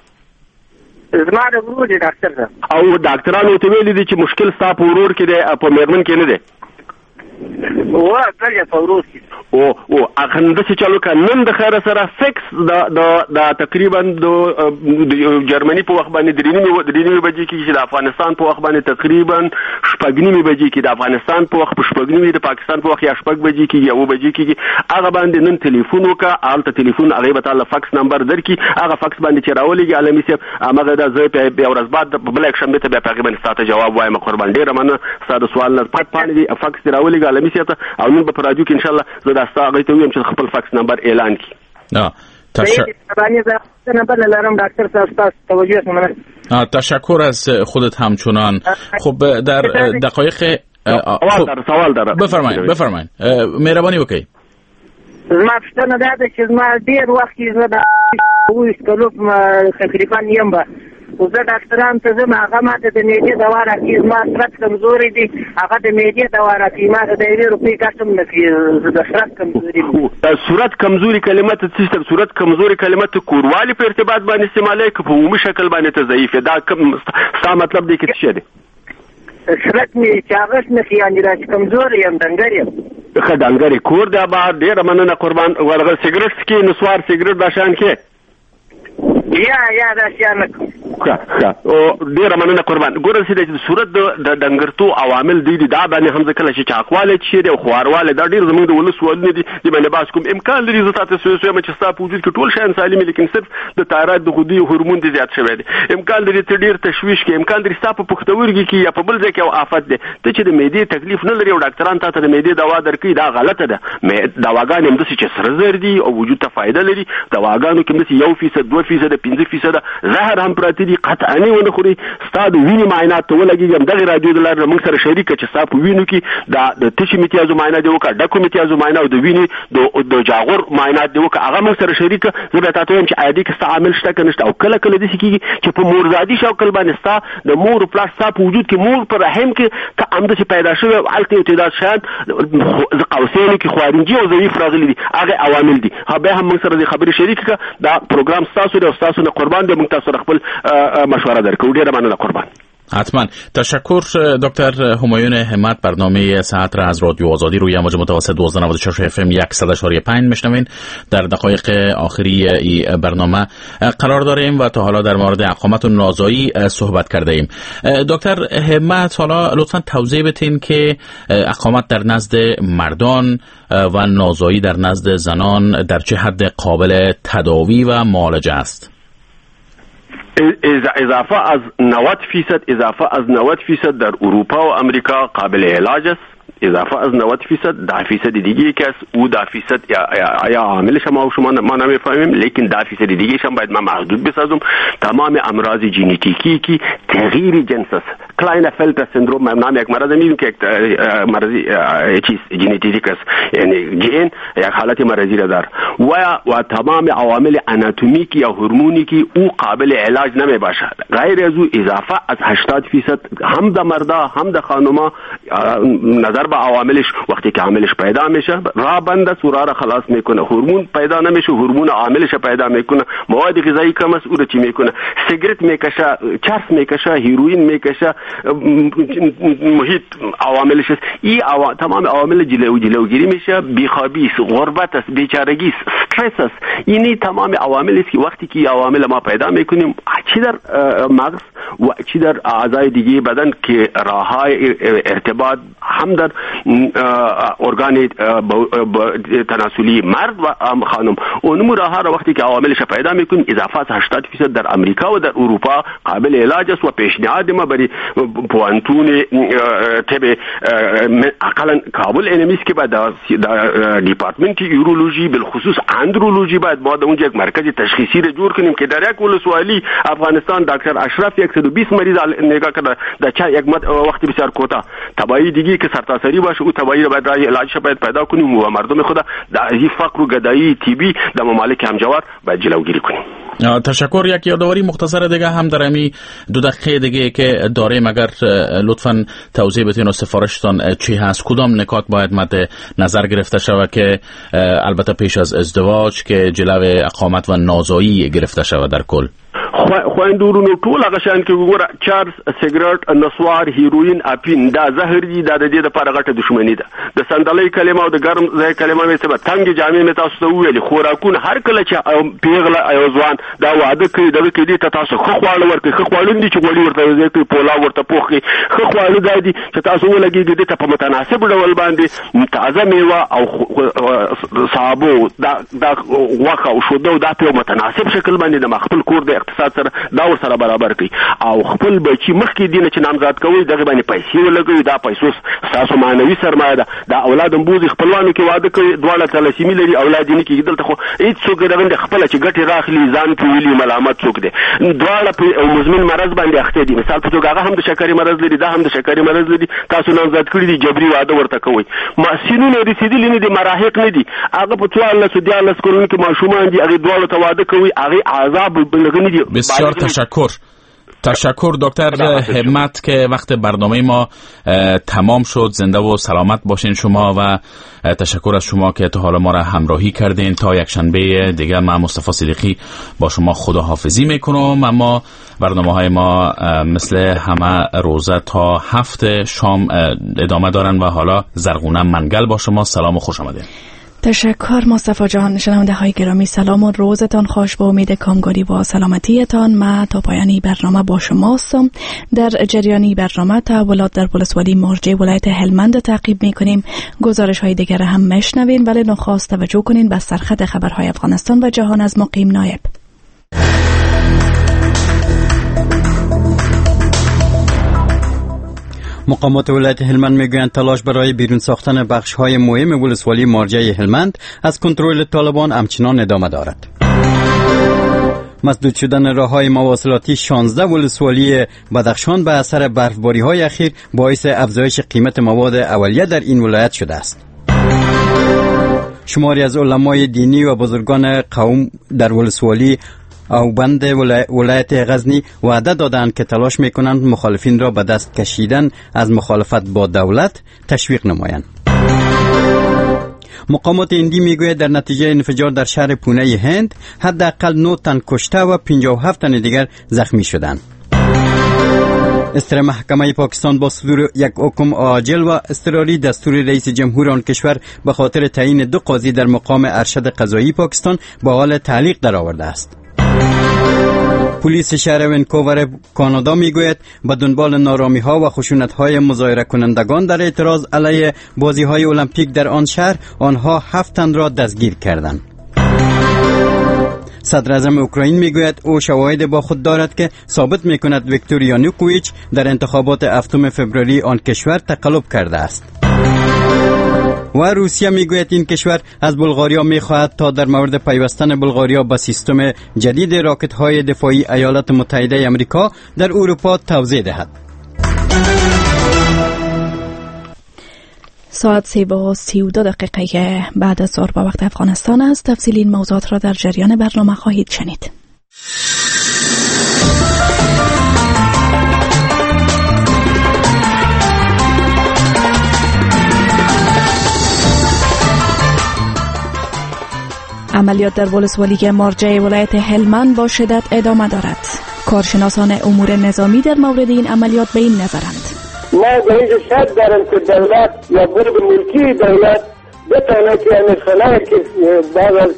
زما د ورور دی ډاکټر صاحب. او ډاکټرانو ته ویلي دي چې مشکل ستا په ورور کې دی، په مېرمن کې نه دی؟ و بلې په ورور کې. او او هغه داسې چلو که نن د خیره سره فکس د د تقریبا د جرمني په وخت باندې 3:30 بجې کېږي، چې د افغانستان په وخت باندې تقریبا 6:30 بجې کېږي، د افغانستان په وخت په 6:30، د پاکستان په وخت یا 6 بجې کېږي یا 7 بجې کېږي. هغه باندې نن تلیفون وکړه، هلته تلیفون هغې به تا له فکس نمبر درکړي، هغه فکس باندې چې راولېږي عالمي صاحب هماغه دا زه بیا ورځ بعد بله یکشنبې ته بیا په هغې باندې ستا ته جواب وایم. قربان ډېره مننه ستا د سوال نه. پټ پاڼې دي فکس دې راولېږه عالمي صاحب ته، او نن به په راډیو کې انشاءالله زه دا ستا هغې ته ووایم چې خپل فکس نمبر اعلان کړي. تشکر از خودت همچنان. خب در دقایق سوال داره. بفرمایید مهربانی وکړئ. زما پوښتنه دا ده چې زما ډېر وخت کېږي زه د 27 کلو تقریبا یم به، خو زه ډاکټرانو ته ځم، هغه ما ته د معدې دوا راکوي، زما سرت کمزوری دی، هغه د معدې دوا راکوي، ما ته د یوې روپۍ ګټه هم نه کوي. زه د سرت کمزوري. صورت کمزوري کلمه ته څه شته؟ صورت کمزوري کلمه ته کوروالي په ارتباط باندې استعمالوې که په عمومي شکل باندې ته ضعیف یې؟ دا کوم ستا مطلب دی که څه شی دی؟ صورت مې چاغښت نه کوي، یعنې داسې کمزوری یم، ډنګر یم. ښه ډنګر یې، کور دی آباد. ډېره مننه قربان. ورغه سګرټ څکې، نسوار سګرټ دا شیان کې؟ یا دا شیان نه کوم. ښه ډېره مننه قربان. ګوره چې د صورت د ډنګرتو عوامل دی دي، دا باندې هم زه کله چې چاقوالی چې دی او خواروالی، دا ډېر زموږ د ولس سوالونه دي، دې باندې بحث کوم. امکان لري زه تاته وایم چې ستا په وجود کې ټول شیان سالم دي، لیکن صرف د تایراید د غدې هورمون دې زیات شوی دی. امکان لري ته ډېر تشویش کې، امکان لري ستا په پښتورګي کې یا په بل ځای کې یو آفت دی، ته چې د معدې تکلیف نه لرې او ډاکټران تا ته د معدې دوا درکوي، دا غلطه ده. دواګانې همداسې چې سره زر دي او وجود ته فایده لري، دواګانو کې همداسې 1%، 2%، 5% زهر هم پراته دي، قطعاً یې ونه خوري. ستا د وینې معاینات ته ولګېږي، همدغې راډیو د لارې موږ سره شریکه چې ستا په وینو کې دا د تشې امتیازو معاینه دې وکړه، ډکو امتیازو معاینه او د وینې د جاغور معاینات دې وکړه، هغه موږ سره شریکه. زه بیا تاته وایم چې آیا دې کې ستا عامل شته که نشته. او کله کله داسې کېږي چې په مورزادي شکل باندې ستا د مور او پلار ستا په وجود کې، مور په رحم کې ته همداسې پیدا شوی، هلته یو تعداد شیان زه قوسینو کې خوارنجي او ضعیف راغلي دي، هغه عوامل دي. بیا هم موږ سره دې خبرې شریکې کړه. دا پروګرام ستاسو دی او ستاسو نه قربان دی، موږ تاسو سره خپل مشوره درکوو. ډېره مننه قربان. حتما. تشکر دکتر همایون همت. برنامه ساعت را از رادیو آزادی روی امواج متوسط 1296 اف ام 100.5 میشنوین. در دقایق آخری این برنامه قرار داریم و تا حالا در مورد اقامت و نازایی صحبت کرده ایم. دکتر همت، حالا لطفا توضیح بدین که اقامت در نزد مردان و نازایی در نزد زنان در چه حد قابل تداوی و معالجه است؟ اضافه از 90%، اضافه از 90% در اروپا و امریکا قابل علاج است. اضافه از 90%، 10% دیگه که است او 10% یا عاملش ما و شما ما نمیفهمیم، لیکن 10% دیگه هم باید ما محدود بسازم. تمام امراض ژنتیکی که تغییر جنس است، کلاینفلتر سندروم نام یک مرض میگیم که یک مرض چیز ژنتیک است، یعنی ژن یک حالت مرضی را دار و تمام عوامل اناتومیک یا هورمونی که او قابل علاج نمی باشد. غیر از او اضافه از 80% هم د مردا هم د خانوما نظر به عواملش وقتی که عاملش پیدا میشه راه بند است و راه را خلاص میکنه. هورمون پیدا نمیشه، هورمون عاملش پیدا میکنه. مواد غذایی کم است او را چی میکنه؟ سیگرت میکشه، چرس میکشه، هیروئین میکشه، محیط عواملش است. این تمام عوامل جلوگیری میشه. بیخوابی است، غربت است، بیچارگی است، استرس است. اینی تمام عوامل است که وقتی که عوامل ما پیدا میکنیم، چی در مغز و چی در اعضای دیگه بدن که راههای ارتباط هم در ارگان تناسلی مرد و خانم اونم راه را وقتی که عواملش پیدا میکنیم، اضافه از 80% در امریکا و در اروپا قابل علاج است و پیشنهاد ما برای پوانتون طب اقلا کابل اینمیست که باید در دیپارتمنت یورولوژی بالخصوص اندرولوژی باید ما در اونجا یک مرکز تشخیصی را جور کنیم که در یک ولسوالی افغانستان دکتر اشرف 120 مریض نگاه کرده در چند یک وقت بسیار کوتاه. تبایی دیگه که سرتاسری باشه او تبایی را باید راه علاجش باید پیدا کنیم و مردم خود در این فقر و گدایی طبی در ممالک همجوار باید جلوگیری کنیم. تشکر. یک یادآوری مختصر دیگه هم در امی 2 دقیقه دیگه که داریم، اگر لطفاً توضیح بدین و سفارشتان چی هست، کدام نکات باید مد نظر گرفته شود که البته پیش از ازدواج که جلو اقامت و نازایی گرفته شود در کل؟ خویندو ورونو ټول هغه شیان کې وګوره، چرس، سګرټ، نسوار، هیروین، اپین، دا زهر دي، دا د دې دپاره غټه دښمني ده. د صندلۍ کلمه او د ګرم ځای کلمه مې څه تنګې جامې مې تاسو ته وویلې. خوراکونه هر کله چې پیغله یو ځوان دا واده کوي دغه کې دې ته تاسو ښه خواړه ورکړئ. ښه خواړه دي چې غوړي ورته ځای کوي، پولاو ورته پوخ کړئ. ښه خواړه دا دي چې تاسو ولګېږئ دې ته په متناسب ډول باندې تازه میوه او سابو، دا غوښه او شوده، دا په یو متناسب شکل باندې د خپل کور د اقتصاد اقتصاد سره دا ورسره برابر کړئ او خپل بچي مخکې دینه چې نامزاد کوئ دغه باندې پیسې ولګوي. دا پیسو ستاسو معنوي سرمایه ده. دا اولاد هم بوځي خپلوانو کې واده کوي، دواړه تلاسیمي لري، اولاد یې نه کېږي. دلته خو هېڅ څوک دغه خپله چې ګټې راخلي ځان پرې ولي ملامت څوک دی. دواړه په مزمن مرض باندې اخته دي. مثال په توګه هغه هم د شکرې مرض لري، دا هم د شکرې مرض لري. تاسو نامزاد کړي دي، جبري واده ورته کوئ. سنونه رسېدلي نه دي، مراهق نه دي، هغه په 14 13 کلونو کې ماشومان دي، هغې دواړو ته واده کوي، هغې عذاب نه دي. بسیار تشکر دکتر همت که وقت برنامه ما تمام شد. زنده و سلامت باشین شما و تشکر از شما که تا حالا ما را همراهی کردین. تا یک شنبه دیگه من مصطفی صدیقی با شما خداحافظی میکنم. اما برنامه های ما مثل همه روزه تا 7 شام ادامه دارن و حالا زرغونه منگل با شما. سلام و خوش آمدین. تشکر مصطفی جان. شنونده های گرامی سلام و روزتان خوش، با امید کامگاری و سلامتیتان. ما تا پایان برنامه با شما هستم. در جریان برنامه تحولات در ولسوالی مارجه ولایت هلمند تعقیب میکنیم، گزارش های دیگر هم میشنوین، ولی نخواست توجه کنین به سرخط خبرهای افغانستان و جهان از مقیم نایب. مقامات ولایت هلمند میگویند تلاش برای بیرون ساختن بخش‌های مهم ولسوالی مارجه هلمند از کنترل طالبان همچنان ادامه دارد. مسدود شدن راه‌های مواصلاتی 16 ولسوالی بدخشان به اثر برفباری‌های اخیر باعث افزایش قیمت مواد اولیه در این ولایت شده است. شماری از علمای دینی و بزرگان قوم در ولسوالی اوبند ولایت غزنی وعده دادند که تلاش میکنند مخالفین را به دست کشیدن از مخالفت با دولت تشویق نمایند. مقامات هندی میگوید در نتیجه انفجار در شهر پونه هند حداقل 9 تن کشته و 57 تن دیگر زخمی شدند. استر محکمه پاکستان با صدور یک حکم عاجل و اضطراری دستور رئیس جمهور آن کشور به خاطر تعیین 2 قاضی در مقام ارشد قضایی پاکستان به حال تعلیق درآورده است. پلیس شهر ونکوور کانادا میگوید به دنبال نارامی ها و خشونت های مظاهره کنندگان در اعتراض علیه بازی های المپیک در آن شهر آنها 7 تن را دستگیر کردند. صدر اعظم اوکراین میگوید او شواهد با خود دارد که ثابت میکند ویکتور یانوکوویچ در انتخابات 7 فوریه آن کشور تقلب کرده است. و روسیه میگوید این کشور از بلغاریا میخواهد تا در مورد پیوستن بلغاریا به سیستم جدید راکت‌های دفاعی ایالات متحده آمریکا در اروپا توضیح دهد. ساعت 3:32 بعد از ظهر با وقت افغانستان است. تفصیل این موضوعات را در جریان برنامه خواهید شنید. عملیات در ولسوالی مارجه ولایت هلمند با شدت ادامه دارد. کارشناسان امور نظامی در مورد این عملیات به این نظرند. ما در اینجا شک دارم که دولت یا برد ملکی دولت بتانه که همین خلای که بعد از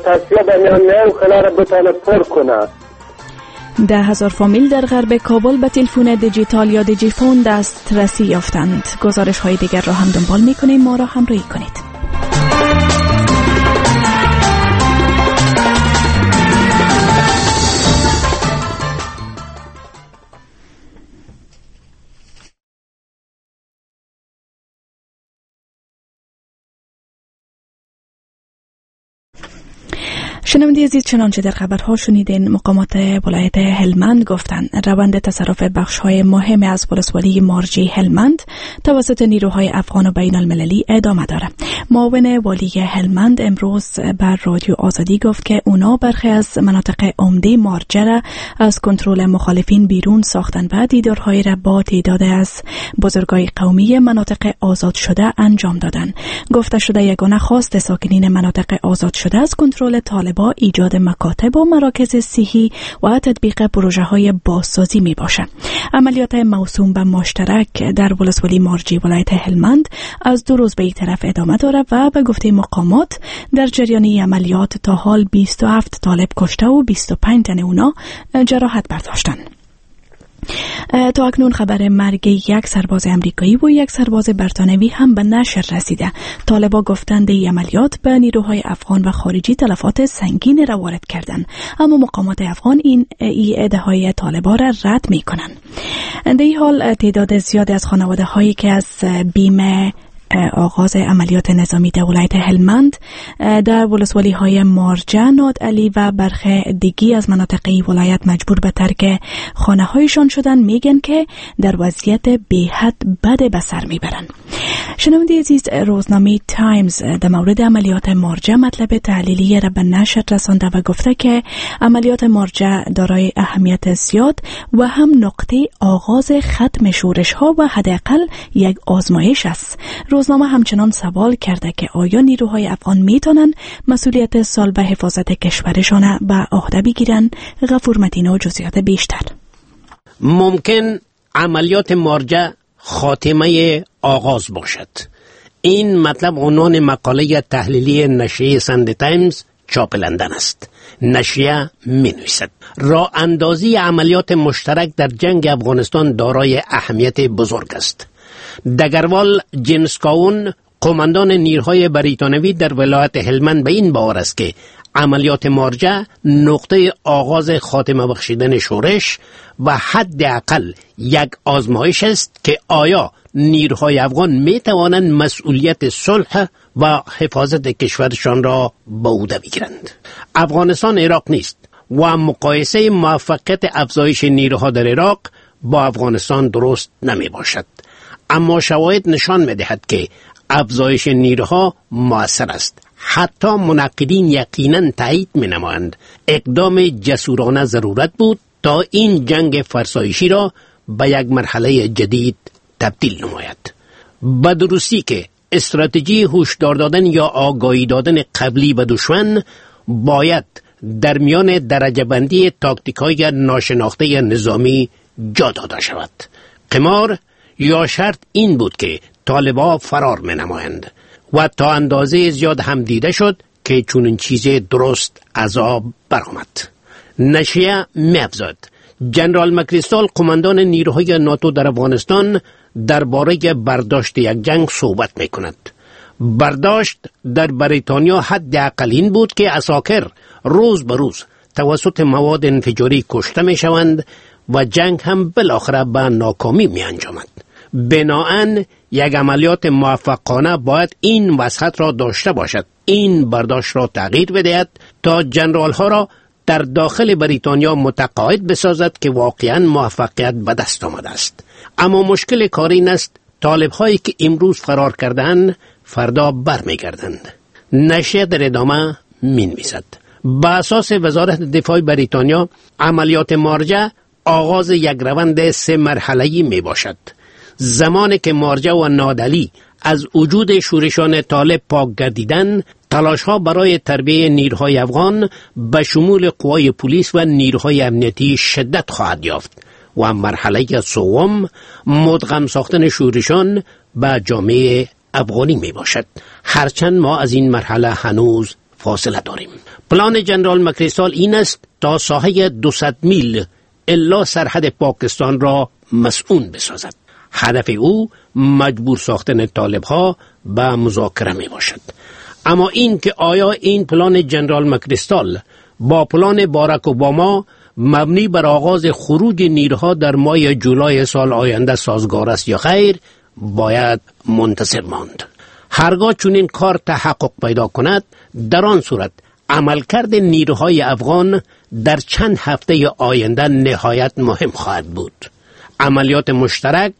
تصفیه به میان میان خلا را بتانه پر کنه. 10,000 فامیل در غرب کابل به تلفن دیجیتال یا دیجیفون دسترسی یافتند. گزارش های دیگر را هم دنبال میکنیم، ما را همراهی کنید. شنونده عزیز، چنانچه در خبرها شنیدین، مقامات ولایت هلمند گفتند روند تصرف بخش‌های مهم از ولسوالی مارجی هلمند توسط نیروهای افغان و بین المللی ادامه دارد. معاون والی هلمند امروز بر رادیو آزادی گفت که اونا برخی از مناطق عمده مارجه را از کنترل مخالفین بیرون ساختند و دیدارهای را با تعداد از بزرگای قومی مناطق آزاد شده انجام دادند. گفته شده یگانه خواست ساکنین مناطق آزاد شده از کنترل طالبان ایجاد مکاتب و مراکز صحی و تطبیق پروژه های بازسازی می باشد. عملیات موسوم به مشترک در ولسوالی مارجی ولایت هلمند از 2 روز به این طرف ادامه دارد و به گفته مقامات در جریان عملیات تا حال 27 طالب کشته و 25 تن اونا جراحت برداشتند. تا اکنون خبر مرگ یک سرباز امریکایی و یک سرباز بریتانوی هم به نشر رسیده. طالبا گفتند این عملیات به نیروهای افغان و خارجی تلفات سنگین را وارد کردند، اما مقامات افغان این ادعای طالبا را رد میکنند. در این حال تعداد زیاد از خانواده هایی که از بیم آغاز عملیات نظامی در ولایت هلمند در ولسوالی های مارجه، نادعلی و برخی دیگی از مناطق ولایت مجبور به ترک خانه هایشان شدن، میگن که در وضعیت بیحد بد به سر میبرن. شنونده عزیز، روزنامه تایمز در مورد عملیات مارجه مطلب تحلیلی را به نشر رسانده و گفته که عملیات مارجه دارای اهمیت زیاد و هم نقطه آغاز ختم شورش ها و حداقل یک آزمایش است. روزنامه همچنان سوال کرده که آیا نیروهای افغان میتونن مسئولیت سال به حفاظت کشورشان به عهده بگیرن؟ غفور متین و جزئیات بیشتر. ممکن عملیات مارجه خاتمه آغاز باشد. این مطلب عنوان مقاله تحلیلی نشریه ساندی تایمز چاپ لندن است. نشریه می‌نویسد راه اندازی عملیات مشترک در جنگ افغانستان دارای اهمیت بزرگ است. دگروال جیمز کاون، قماندان نیروهای بریتانوی در ولایت هلمند، به این باور است که عملیات مارجه نقطه آغاز خاتمه بخشیدن شورش و حداقل یک آزمایش است که آیا نیروهای افغان می توانند مسئولیت صلح و حفاظت کشورشان را به عهده بگیرند. افغانستان عراق نیست و مقایسه موفقیت افزایش نیروها در عراق با افغانستان درست نمی باشد. اما شواهد نشان می دهد که افزایش نیروها مؤثر است. حتی منقدین یقینا تایید می نمایند اقدام جسورانه ضرورت بود تا این جنگ فرسایشی را به یک مرحله جدید تبدیل نماید. به درستی که استراتژی هشدار دادن یا آگاهی دادن قبلی به دشمن باید در میان درجه بندی تاکتیک های ناشناخته نظامی جا داده شود. قمار یا شرط این بود که طالبا فرار می نمایند و تا اندازه زیاد هم دیده شد که چنین چیز درست عذاب برآمد. نشریه می‌افزاید جنرال مکریستال، قماندان نیروهای ناتو در افغانستان، درباره برداشت یک جنگ صحبت می‌کند. برداشت در بریتانیا حداقل این بود که عساکر روز به روز توسط مواد انفجاری کشته می‌شوند و جنگ هم بالاخره به ناکامی می‌انجامد. بناهن یک عملیات موفقانه باید این وسعت را داشته باشد، این برداشت را تغییر بدهد تا جنرال ها را در داخل بریتانیا متقاعد بسازد که واقعا موفقیت به دست آمده است. اما مشکل کار این است طالب هایی که امروز فرار کردند فردا برمیگردند. نشریه در ادامه مینویسد به اساس وزارت دفاع بریتانیا عملیات مارجه آغاز یک روند 3 مرحله‌ای می باشد. زمانی که مارجه و نادعلی از وجود شورشان طالب پاک گردیدن، تلاش‌ها برای تربیه نیروهای افغان به شمول قوای پلیس و نیروهای امنیتی شدت خواهد یافت و مرحله سوم مدغم ساختن شورشان به جامعه افغانی می باشد. هرچند ما از این مرحله هنوز فاصله داریم. پلان جنرال مکریستال این است تا ساحه 200 میل الا سرحد پاکستان را مسئول بسازد. هدف او مجبور ساختن طالب ها به مذاکره می باشد. اما این که آیا این پلان جنرال مکریستال با پلان باراک اوباما مبنی بر آغاز خروج نیروها در ماه جولای سال آینده سازگار است یا خیر، باید منتظر ماند. هرگاه چنین کار تحقق پیدا کند، در آن صورت عملکرد نیروهای افغان در چند هفته آینده نهایت مهم خواهد بود. عملیات مشترک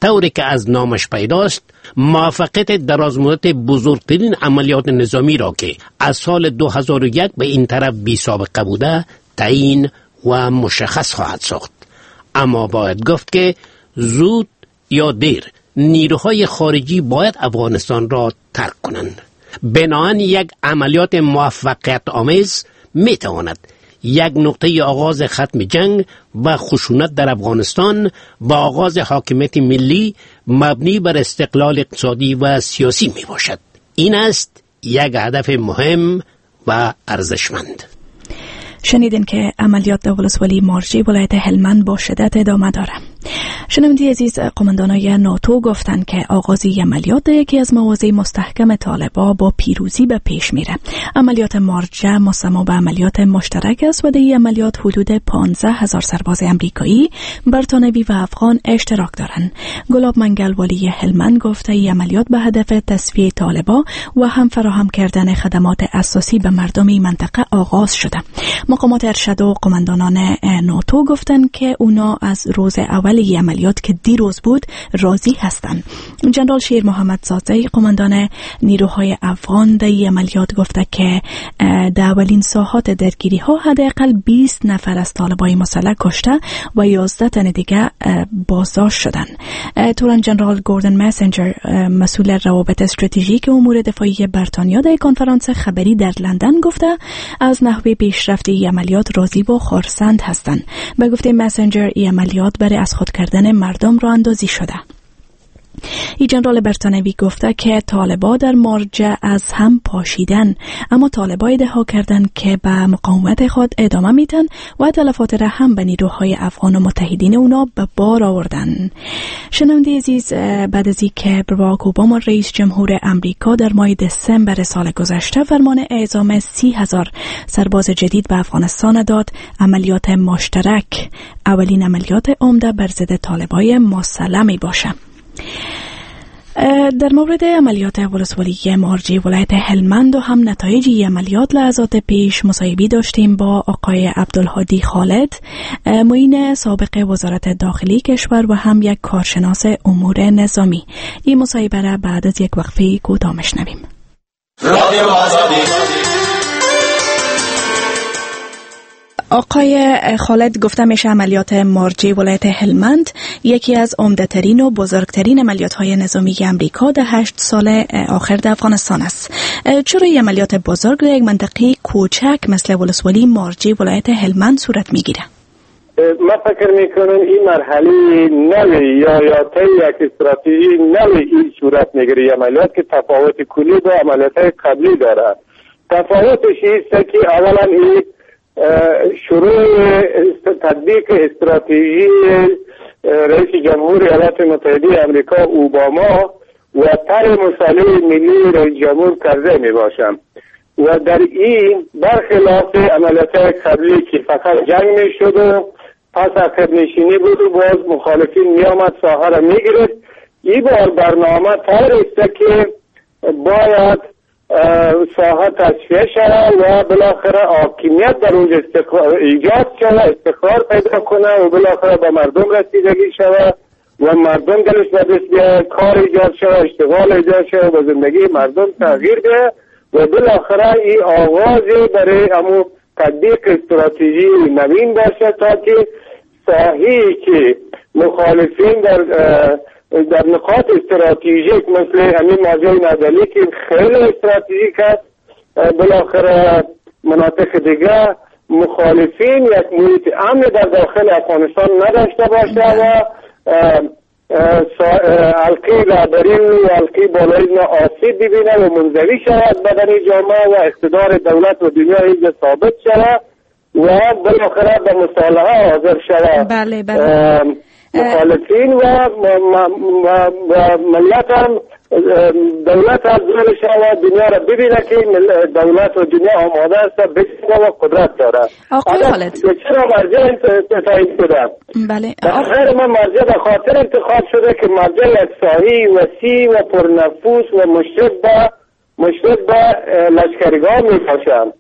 طوری که از نامش پیداست موفقیت درازمدت بزرگترین عملیات نظامی را که از سال 2001 به این طرف بی سابقه بوده تعیین و مشخص خواهد ساخت. اما باید گفت که زود یا دیر نیروهای خارجی باید افغانستان را ترک کنند. بنابراین یک عملیات موفقیت آمیز می تواند یک نقطه آغاز ختم جنگ و خشونت در افغانستان و آغاز حاکمیت ملی مبنی بر استقلال اقتصادی و سیاسی می باشد. این است یک هدف مهم و ارزشمند. شنیدین که عملیات در ولسوالی مارجی ولایت هلمند با شدت ادامه داره. شنونده عزیز، قماندانای ناتو گفتند که آغاز عملیات یکی از مواضع مستحکم طالبا با پیروزی به پیش میره. عملیات مارجه مسما به عملیات مشترک است و در این عملیات حدود 15,000 سرباز امریکایی، بریتانوی و افغان اشتراک دارند. گلاب منگل والی هلمند گفته این عملیات به هدف تصفیه طالبا و هم فراهم کردن خدمات اساسی به مردم این منطقه آغاز شده. مقامات ارشد و قماندانان ناتو گفتند که اونا از روز اول عملیات که دیروز بود راضی هستند. جنرال شیر محمد زاده قماندان نیروهای افغان در عملیات گفته که در اولین ساعات درگیری ها حداقل 20 نفر از طالبای مسلح کشته و 11 تن دیگه بازداشت شدند. تورن جنرال گوردن مسنجر مسئول روابط استراتژیک امور دفاعی بریتانیا در کنفرانس خبری در لندن گفته از نحوه پیشرفت عملیات راضی و خرسند هستند. به گفته مسنجر این عملیات برای از خود کردن مردم را اندازی شده. ای جنرال بریتانوی گفته که طالبا در مارجه از هم پاشیدن، اما طالبا ادعا کردند که به مقاومت خود ادامه میدن و تلفات را هم به نیروهای افغان و متحدین اونا به بار آوردن. شنونده عزیز، بعد از اینکه باراک اوباما رئیس جمهور امریکا در ماه دسامبر سال گذشته فرمان اعزام 30,000 سرباز جدید به افغانستان داد، عملیات مشترک اولین عملیات عمده بر ضد طالبای مسلح می باشه. در مورد عملیات ولسوالی مارجی ولایت هلمند و هم نتایج عملیات لحظات پیش مصاحبه داشتیم با آقای عبدالهادی خالد، معین سابق وزارت داخلی کشور و هم یک کارشناس امور نظامی. این مصاحبه را بعد از یک وقفه کوتاه میشنویم. رادیو آزادی. آقای خالد، گفته میشه عملیات مارجی ولایت هلمند یکی از عمده‌ترین و بزرگترین عملیات‌های نظامی امریکا در 8 سال آخر در افغانستان است. چرا این عملیات بزرگ در یک منطقه کوچک مثل ولسوالی مارجی ولایت هلمند صورت میگیره؟ من فکر میکنم این مرحله نوی یا طی یک استراتژی نوی این صورت میگیره عملیات که تفاوت کلی با عملیات‌های قبلی داره. تفاوتش اینست که اولا این شروع تطبیق استراتژی رئیس جمهور ایالات متحده آمریکا اوباما و طرح مصالحه ملی رئیس جمهور کرزی می باشم و در این برخلاف عملیات قبلی که فقط جنگ می شد و پس عقب نشینی بود و باز مخالفین می آمد ساحه را می گرفت، این بار برنامه طرح است که باید ساحه تصفیه شود و بالاخره حاکمیت در اونجا ایجاد شود، استقرار پیدا کنه و بالاخره به مردم رسیدگی شود و مردم دلش به دست بیاید، کار ایجاد شود، اشتغال ایجاد شود و زندگی مردم تغییر بیاید و بالاخره این آغاز برای امو تطبیق استراتژی نوین باشه تا که ساحه‌ای که مخالفین در نقاط استراتژیک مثل همین ماجرای نادلی که خیلی استراتژیک است، بالاخره مناطق دیگه مخالفین یک محیط امن در داخل افغانستان نداشته باشه و حلقه رهبری و حلقه بالایی آسیب ببینه و منزوی شود بدن جامعه و اقتدار دولت و دنیا اینجا ثابت شود و بالاخره به مصالحه حاضر شود. بله بله. مخالفین و ملت هم دولت هم زور شود دنیا را ببینه که دولت و دنیا آماده است بشینه و قدرت داره. آقای خالد، چرا مرجع تعیین شده؟ بله، آخر ما مرجع به خاطر انتخاب شده که مرجع یک ساحه وسیع و پرنفوس و مشرف به لشکرگاه می باشد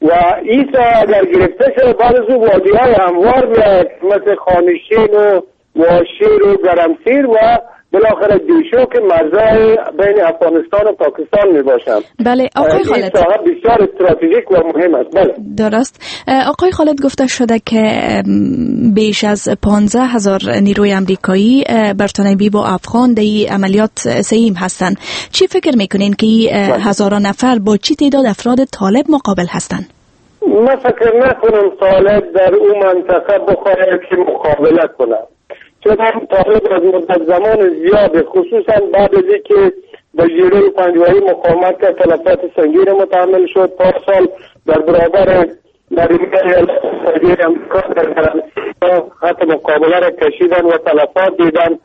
و این ساحه اگر گرفته شده بعد از او وادی های هموار میاد مثل خانشین و واشیر و گرمسیر و بالاخره دیشو که مرزهای بین افغانستان و پاکستان می باشند. بله آقای خالد، این ساحه بسیار استراتژیک و مهم است. بله درست. آقای خالد، گفته شده که بیش از 15,000 نیروی امریکایی، بریتانیایی و افغان در این عملیات سهیم هستند. چی فکر میکنین که این هزاران نفر با چی تعداد افراد طالب مقابل هستند؟ من فکر نکنم طالب در اون منطقه بخواهد که مقابله کنه، چون طالب از مدت زمان زیاد خصوصا بعد از اینکه با جیره پنجوایی مقاومت کرد، تلفات سنگین متحمل شد، پارسال در برابر در ایالات امریکا در خط مقابله را کشیدن و تلفات دیدن.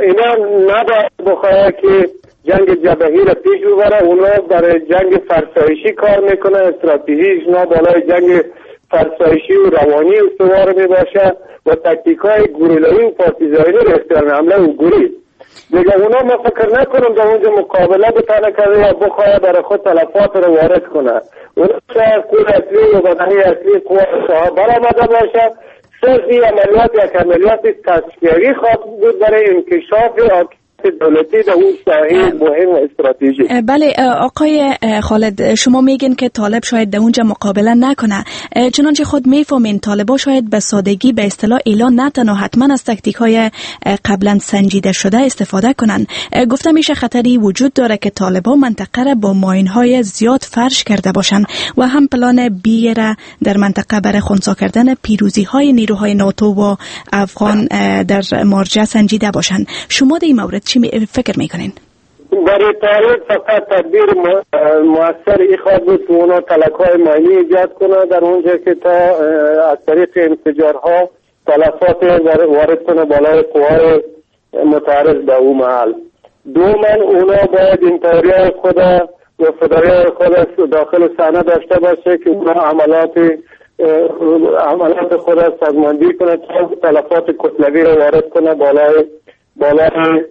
اینا نباید بخواه که جنگ جبهی را پیش ببره، اونا برای جنگ فرسایشی کار میکنه، استراتژیش نه بالای جنگ فرسایشی و روانی استوار میباشه و تکتیک های گوریلایی و پارتیزانی را اختیار حمله و گوریل دیگه. اونا ما فکر نکنم در اونجا مقابله بتانه کرده یا بخواه برای خود تلفات را وارد کنه. اونا شاید قوه اصلی و بدنی اصلی قوه صاحب برآمده باشه. صرف این عملیات یک عملیات تصفیوی خواهد بود برای انکشاف دولتی در اون ساحه مهم و استراتژیک. بله آقای خالد، شما میگین که طالب شاید در اونجا مقابله نکنه. چنانچه خود میفهمین طالبا شاید به سادگی به اصطلاح اعلان نتن و حتما از تکتیک های قبلا سنجیده شده استفاده کنن. گفته میشه خطری وجود داره که طالبا منطقه را با ماین های زیاد فرش کرده باشن و هم پلان بی را در منطقه برای خنثی کردن پیروزی های نیروهای ناتو و افغان در مارجه سنجیده باشن. شما در این مورد چی فکر میکنین؟ برای طالب فقط تدبیر مؤثر ای خواهد بود که اونا تلک های ماینی ایجاد کنه در اونجا که تا از طریق انفجارها تلفات وارد کنه بالای قوای متعرض به او محل. دوما اونا باید انتحاری خود و فدایی خود داخل صحنه داشته باشه که اونا عملات خود سازماندهی کنه تا تلفات کتلوی را وارد کنه بالای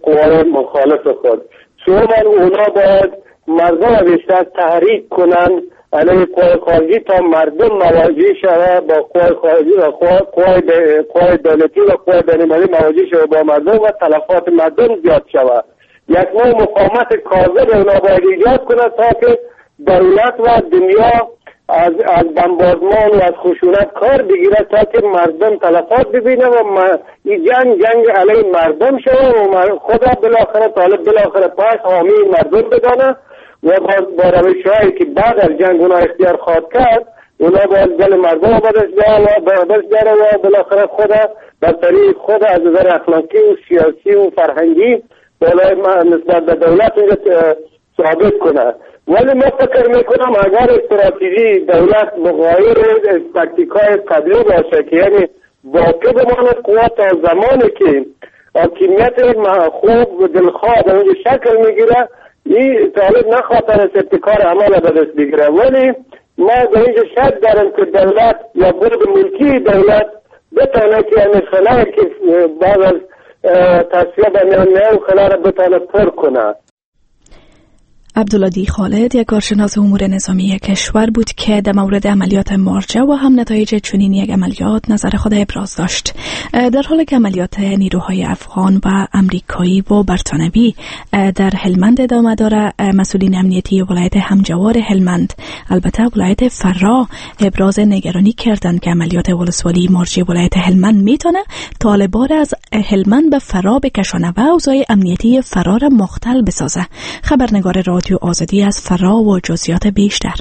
قوای مخالف خود. سوما اونا باید مردم بیشتر تحریک کنن علیه قوای خارجی تا مردم مواجه شوه با قوای خارجی و قوای دولتی و قوای بین‌المللی مواجه شوه با مردم و تلفات مردم زیاد شوه. یک نوع مقاومت کاذب اونا باید ایجاد کنه تا که دولت و دنیا از بمباردمان و از خشونت کار بگیره تا که مردم تلفات ببینه و این جنگ علیه مردم شوه و خدا بالاخره طالب بالاخره پاس حامی مردم بدانه و با روش هایی که بعد از جنگ اونا اختیار خواهد کرد اونا باید دل مردم بدست بیاره و بالاخره خدا بر طریق خود از نظر اخلاقی و سیاسی و فرهنگی بالای نسبت به دولت ثابت کنه. ولی ما فکر میکنم اگر استراتژی دولت مغایر تاکتیک های قبلی باشه که یعنی باقی بماند قوت تا زمانی که حاکمیت خوب و دلخواه در اونجا شکل میگیره، این طالب نخواهد از ابتکار عمل به دست بگیره. ولی ما در اینجا شک دارم که دولت یا برد ملکی دولت بتانه که یعنی خلای که بعد از تصفیه به میان میان خلای را بتانه پر کنه. عبدالهادی خالد یک کارشناس امور نظامی کشور بود که در مورد عملیات مارجه و هم نتایج چنین یک عملیات نظر خود ابراز داشت. در حال که عملیات نیروهای افغان و امریکایی و برتانوی در هلمند ادامه داره، مسئولین امنیتی ولایت همجوار هلمند البته ولایت فراه ابراز نگرانی کردند که عملیات ولسوالی مارجه ولایت هلمند میتونه طالبان از هلمند به فراه بکشانه و اوضاع امنیتی فراه را مختل بسازه. خبرنگار رادیو آزادی از فراه و جزئیات بیشتر.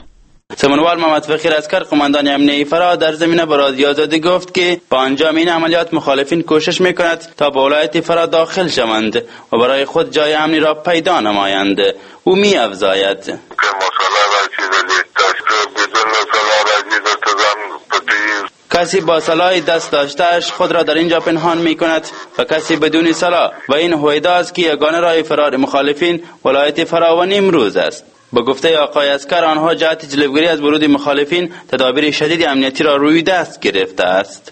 سمنوال محمد فقیر عسکر قماندان امنیتی فراه در زمینه به رادیو آزادی گفت که با انجام این عملیات مخالفین کوشش میکند تا به ولایت فراه داخل شوند و برای خود جای امنی را پیدا نمایند. او می افزاید کسی با سلاح دست داشتهش خود را در اینجا پنهان می کند و کسی بدون سلاح، و این هویدا است که یگانه راه فرار مخالفین ولایت فراه و نیمروز است. به گفته آقای عسکر آنها جهت جلوگیری از ورود مخالفین تدابیر شدید امنیتی را روی دست گرفته است.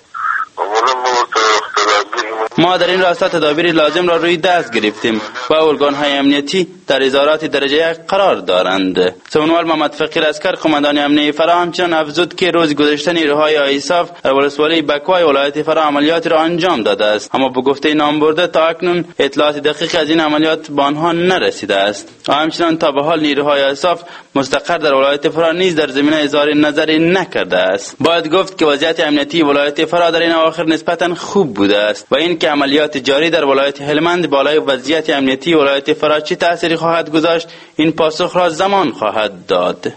ما در این راستا تدابیر لازم را روی دست گرفتیم و ارگان‌های امنیتی در ادارات درجه یک قرار دارند. سمنوال محمد فقیر عسکر قماندان امنیتی فراه همچنان افزود که روز گذشته نیروهای آیساف در ولسوالی بکوای ولایت فراه عملیات را انجام داده است، اما به گفته نامبرده تا اکنون اطلاعات دقیق از این عملیات به آنها نرسیده است. همچنان تا به حال نیروهای آیساف مستقر در ولایت فراه نیز در زمینه اظهار نظری نکرده است. باید گفت که وضعیت امنیتی ولایت فراه در این اواخر نسبتا خوب بوده است و این که عملیات جاری در ولایت هلمند بالای وضعیت امنیتی ولایت فراه چه تأثیری خواهد گذاشت، این پاسخ را زمان خواهد داد.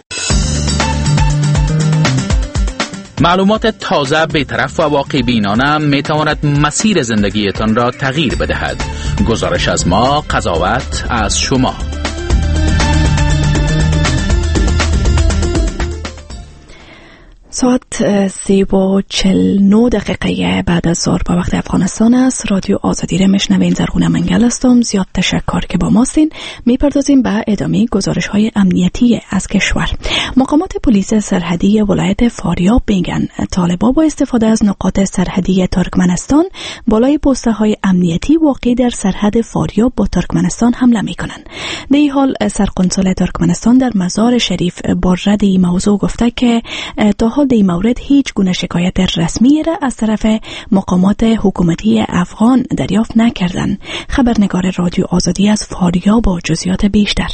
معلومات تازه، بی‌طرف و واقع بینانه میتواند مسیر زندگیتان را تغییر بدهد. گزارش از ما، قضاوت از شما. ساعت 3:49 بعد از ظهر با وقت افغانستان است. رادیو آزادی را میشنوین. زرغونه منگل هستم. زیاد تشکر که با ماستین. میپردازیم به ادامه گزارش های امنیتی از کشور. مقامات پلیس سرحدی ولایت فاریاب میگن طالبا با استفاده از نقاط سرحدی ترکمنستان بالای پوسته های امنیتی واقع در سرحد فاریاب با ترکمنستان حمله میکنن. در این حال سرقنسل ترکمنستان در مزار شریف با رد این موضوع گفته که تا حال در این مورد هیچ گونه شکایت رسمی را از طرف مقامات حکومتی افغان دریافت نکردند. خبرنگار رادیو آزادی از فاریاب با جزئیات بیشتر.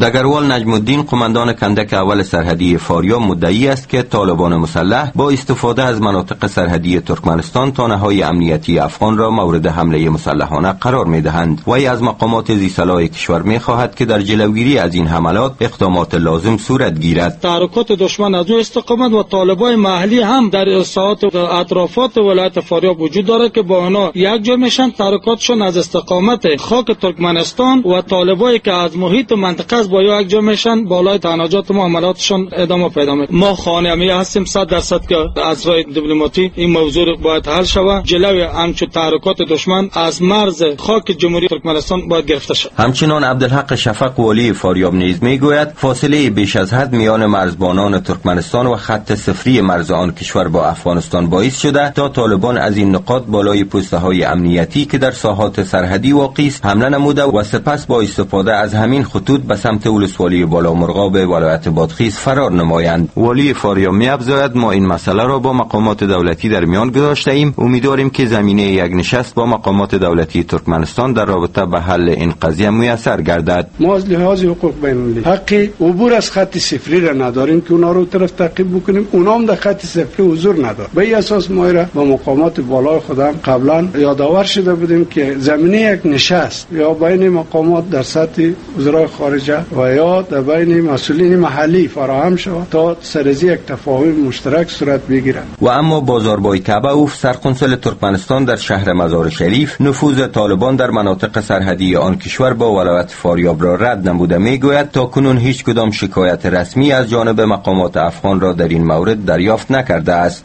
دگروال نجم الدین قماندان کندک اول سرحدی فاریاب مدعی است که طالبان مسلح با استفاده از مناطق سرحدی ترکمنستان تانه‌های امنیتی افغان را مورد حمله مسلحانه قرار می‌دهند. وی از مقامات ذی‌صلاح کشور می‌خواهد که در جلوگیری از این حملات اقدامات لازم صورت گیرد. تحرکات دشمن از او استقامت و طالبان محلی هم در ساعات اطرافات ولایت فاریاب وجود دارد که با آنها یک جا میشن. تحرکاتشون از استقامت خاک ترکمنستان و طالبایی که از محیط منطقه از با یک جا میشن بالای تناجات معاملاتشون ادامه پیدا میکنه. ما خانمی هستیم 100% که از راه دیپلماتی این موضوع باید حل شود. جلوی همچو تحرکات دشمن از مرز خاک جمهوری ترکمنستان باید گرفته شود. همچنان عبدالحق شفق والی فاریاب نیز میگوید فاصله بیش از حد میان مرزبانان ترکمنستان و خط صفری مرز آن کشور با افغانستان باعث شده تا طالبان از این نقاط بالای پوسته‌های امنیتی که در ساحات سرحدی واقع است حمله نموده و سپس با استفاده از همین خطوط به سمت ولسوالی بالا مرغاب ولایت بادغیس فرار نمایند. والی فاریاب می‌افزاید ما این مسئله را با مقامات دولتی در میان گذاشته ایم. امیدواریم که زمینه یک نشست با مقامات دولتی ترکمنستان در رابطه به حل این قضیه میسر گردد. ما از لحاظ حقوق بین‌المللی حق عبور از خط صفری را نداریم که اونا رو طرف تعقیب بکنیم. اونا هم در خط صفری حضور ندارند. به این اساس ما را با مقامات بالای خودم قبلا یادآور شده بودیم که زمینه یک نشست یا بین مقامات در سطح وزرای خارجه و یا در بین مسئولین محلی فراهم شود تا سرزی یک تفاهم مشترک صورت بگیرد. و اما بازاربای کعبه‌اوف سرکنسل ترکمنستان در شهر مزار شریف نفوذ طالبان در مناطق سرحدی آن کشور با ولایت فاریاب را رد نموده میگوید تا کنون هیچ کدام شکایت رسمی از جانب مقامات افغان را در این مورد دریافت نکرده است.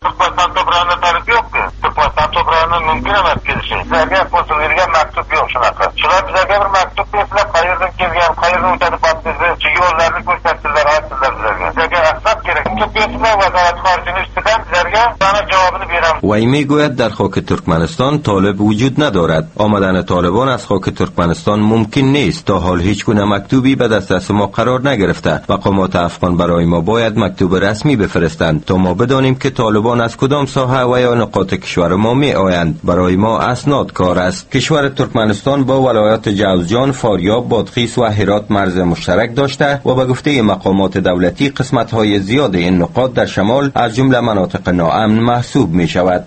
وی میگوید در خاک ترکمنستان طالب وجود ندارد. آمدن طالبان از خاک ترکمنستان ممکن نیست. تا حال هیچ گونه مکتوبی به دسترس ما قرار نگرفته. مقامات افغان برای ما باید مکتوب رسمی بفرستند تا ما بدانیم که طالبان از کدام ساحه و یا نقاط کشور ما می آیند. برای ما اسناد کار است. کشور ترکمنستان با ولایات جوزجان، فاریاب، بادغیس و هرات مرز مشترک داشته و به گفته مقامات دولتی قسمت‌های زیاد این نقاط در شمال از جمله مناطق ناامن محسوب می شود.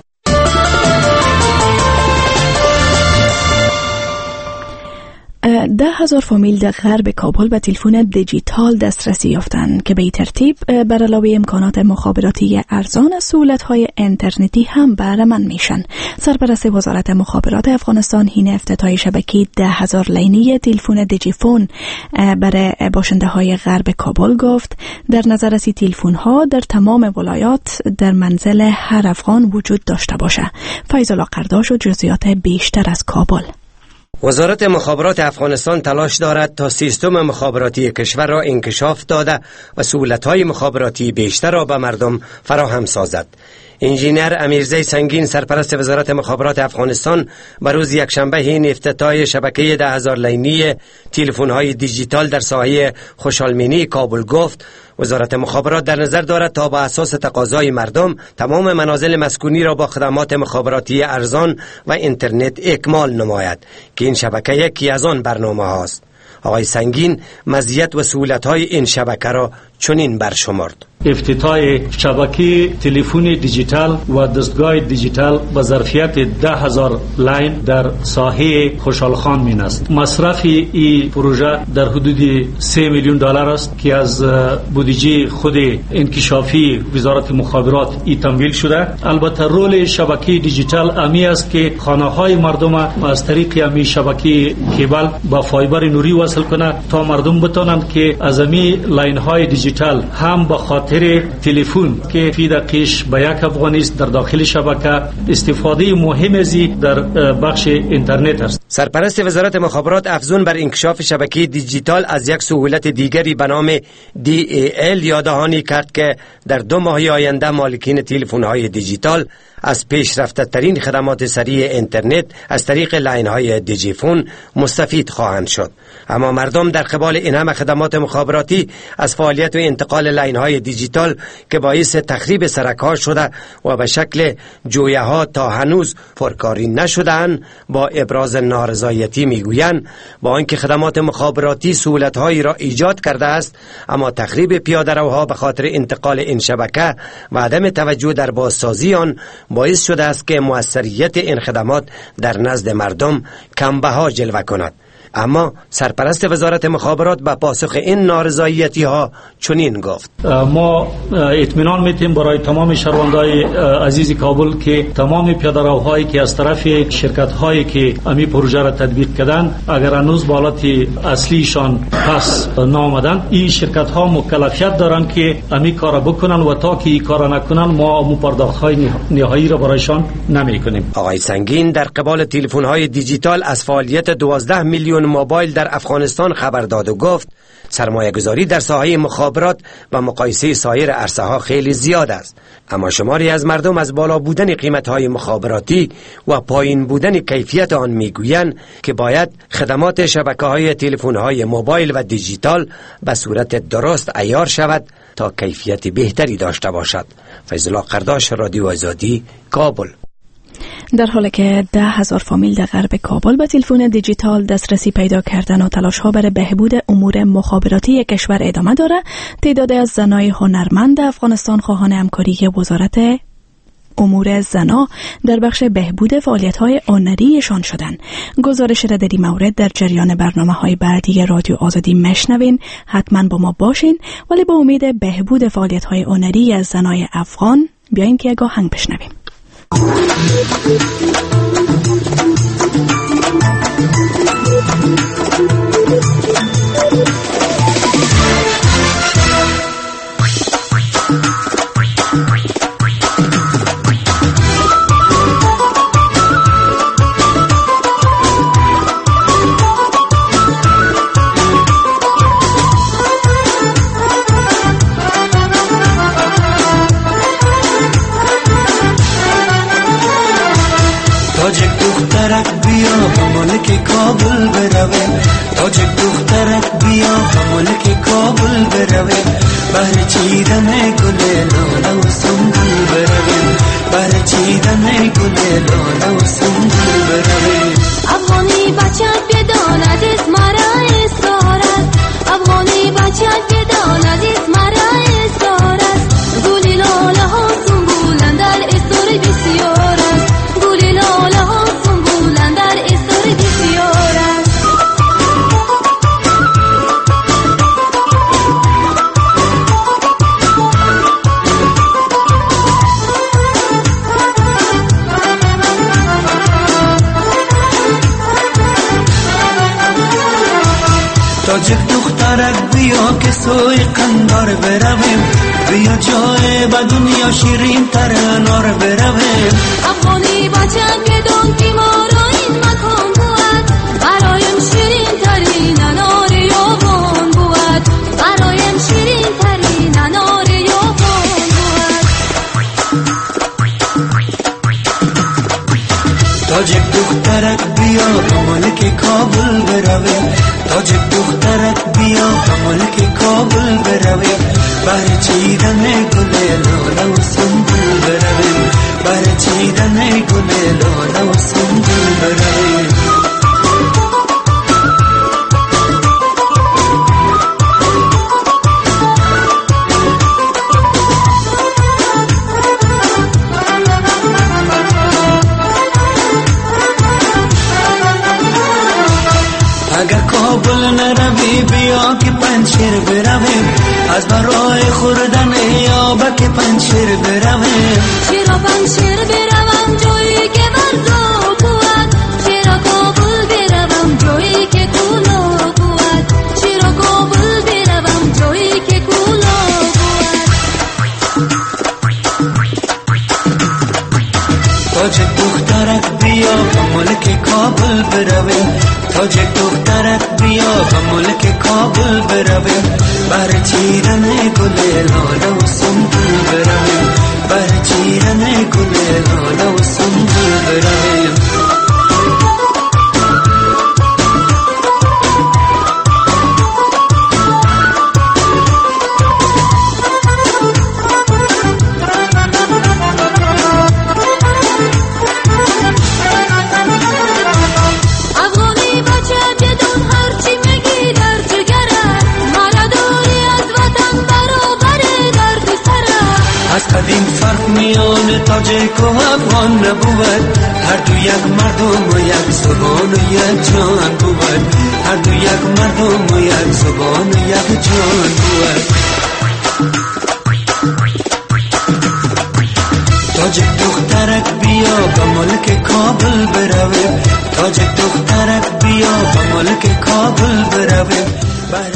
ده هزار فامیل در غرب کابل به تلفن دیجیتال دسترسی یافتند که به ترتیب بر علاوه امکانات مخابراتی ارزان از سهولت‌های اینترنتی هم بهره‌مند میشن. سرپرست وزارت مخابرات افغانستان حین افتتاح شبکه 10,000 لینی تلفن دیجیفون برای باشنده های غرب کابل گفت در نظر است تلفن ها در تمام ولایات در منزل هر افغان وجود داشته باشه. فیض الله قرداش و جزئیات بیشتر از کابل. وزارت مخابرات افغانستان تلاش دارد تا سیستم مخابراتی کشور را انکشاف داده و سهولت‌های مخابراتی بیشتر را به مردم فراهم سازد. انجینر امیرزی سنگین سرپرست وزارت مخابرات افغانستان بر روز یکشنبه حین افتتاح شبکه 10,000 لینی تلفن‌های دیجیتال در ساحه خوشحالمینی کابل گفت وزارت مخابرات در نظر دارد تا با اساس تقاضای مردم تمام منازل مسکونی را با خدمات مخابراتی ارزان و اینترنت اکمال نماید که این شبکه یکی از آن برنامه هاست. آقای سنگین مزیت و سهولت‌های این شبکه را چنین برشمرد: افتتاح شبکه تلفن دیجیتال و دستگاه دیجیتال با ظرفیت 10,000 line در ساحه خوشحال خان مین است. مصرف این پروژه در حدود 3 میلیون دلار است که از بودجه خود انکشافی وزارت مخابرات ای تمویل شده. البته رول شبکه دیجیتال امی است که خانه های مردم از طریق امی شبکه کیبل با فایبر نوری وصل کنه تا مردم بتونند که از امی line های دیجیتال هم به خاطر خاطر تلفن که فی دقیقش به 1 افغانی است در داخل شبکه، استفاده مهم ازی در بخش اینترنت است. سرپرست وزارت مخابرات افزون بر انکشاف شبکه دیجیتال از یک سهولت دیگری به نام DAL یاددهانی کرد که در 2 ماه آینده مالکین تلفن‌های دیجیتال از پیشرفته‌ترین خدمات سریع اینترنت از طریق لاین‌های دیجیفون مستفید خواهند شد. اما مردم در قبال این همه خدمات مخابراتی از فعالیت و انتقال لاین‌های دیجیتال که باعث تخریب سرک‌ها شده و به شکل جویه‌ها تا هنوز پرکاری نشده‌اند با ابراز نارضایتی میگویند با آنکه خدمات مخابراتی سهولت‌هایی را ایجاد کرده است، اما تخریب پیاده‌روها به خاطر انتقال این شبکه و عدم توجه در بازسازی آن باعث شده است که موثریت این خدمات در نزد مردم کمبها جلوه کند. اما سرپرست وزارت مخابرات به پاسخ این نارضایتی ها چنین گفت: ما اطمینان میتیم برای تمام شهروندای عزیز کابل که تمام پیاده‌روهایی که از طرف شرکت هایی که امی پروژه را تطبیق کردن اگر هنوز به حالت اصلیشان پس نامدن، این شرکت ها مکلفیت دارن که امی کار بکنن و تا که این کار نکنن ما مو پرداخت های نهایی را برایشان نمیکنیم. آقای سنگین در قبال تلفن های دیجیتال از فعالیت 12 میلیون موبایل در افغانستان خبر داد و گفت سرمایه گذاری در ساحه مخابرات و مقایسه سایر عرصه ها خیلی زیاد است، اما شماری از مردم از بالا بودن قیمت های مخابراتی و پایین بودن کیفیت آن میگویند که باید خدمات شبکه های تلفن های موبایل و دیجیتال به صورت درست عیار شود تا کیفیت بهتری داشته باشد. فیض الله قرداش، رادیو آزادی، کابل. در حالی که 10,000 فامیل در غرب کابل به تلفن دیجیتال دسترسی پیدا کردن و تلاش‌ها برای بهبود امور مخابراتی کشور ادامه داره، تعداد از زنای هنرمند افغانستان خواهان همکاری وزارت امور زنا در بخش بهبود فعالیت‌های هنریشان شدند. گزارش را در این مورد در جریان برنامه‌های بعدی رادیو آزادی مشنوین. حتما با ما باشین، ولی با امید بهبود فعالیت‌های هنری از زنای افغان بیاین که یک آهنگ بشنویم. کابل برویم، تاجک دخترک بیا به ملک کابل برویم، بهر چیدن گل لاله و سنبل برویم، بهر چیدن گل لاله و سنبل برویم. افغانی بچه بداند از مرا اسارت، افغانی بچه بداند از مرا اسارت، گل لاله ها سنبولن در اسار بسیار است، گل لاله ها سنبولن در اسار بسیار است. تاجک دخترک بیا که سوی قندار برویم، بیا جای به دنیا شیرین تر انار برویم. افغانی بچه بدون که ما را این مکان بود، برایم شیرین ترین انار یابان بود، برایم شیرین ترین انار یابان بود. تاجک دخترک بیا به ملک کابل برویم، تاجک دخترک بیا به ملک کابل برویم، بر چیدن گل لاله و سنبل برویم، بر چیدن گل لاله و سنبل برویم. اگر کابل نروی بیا که پنجشیر برویم، از برای خوردن آبک پنجشیر برویم. چرا پنجشیر بروم جایی که برزا بود، چرا کابل بروم جایی که کولا بود، چرا کابل بروم جایی که کولا بود. تاجک دخترک بیا به ملک کابل برویم، تاجک دخترک بیا به ملک کابل برویم، بر چیدن گل لاله و سنبل برویم، بر چیدن گل لاله و سنبل برویم. از قدیم فرق میان تاجیک و افغان نبود، هر دو یک مردم و یک زبان و یک جان بود، هر دو یک مردم و یک زبان و یک جان بود. تاجک دخترک بیا به ملک کابل برویم، تاجک دخترک بیا به ملک کابل برویم، بر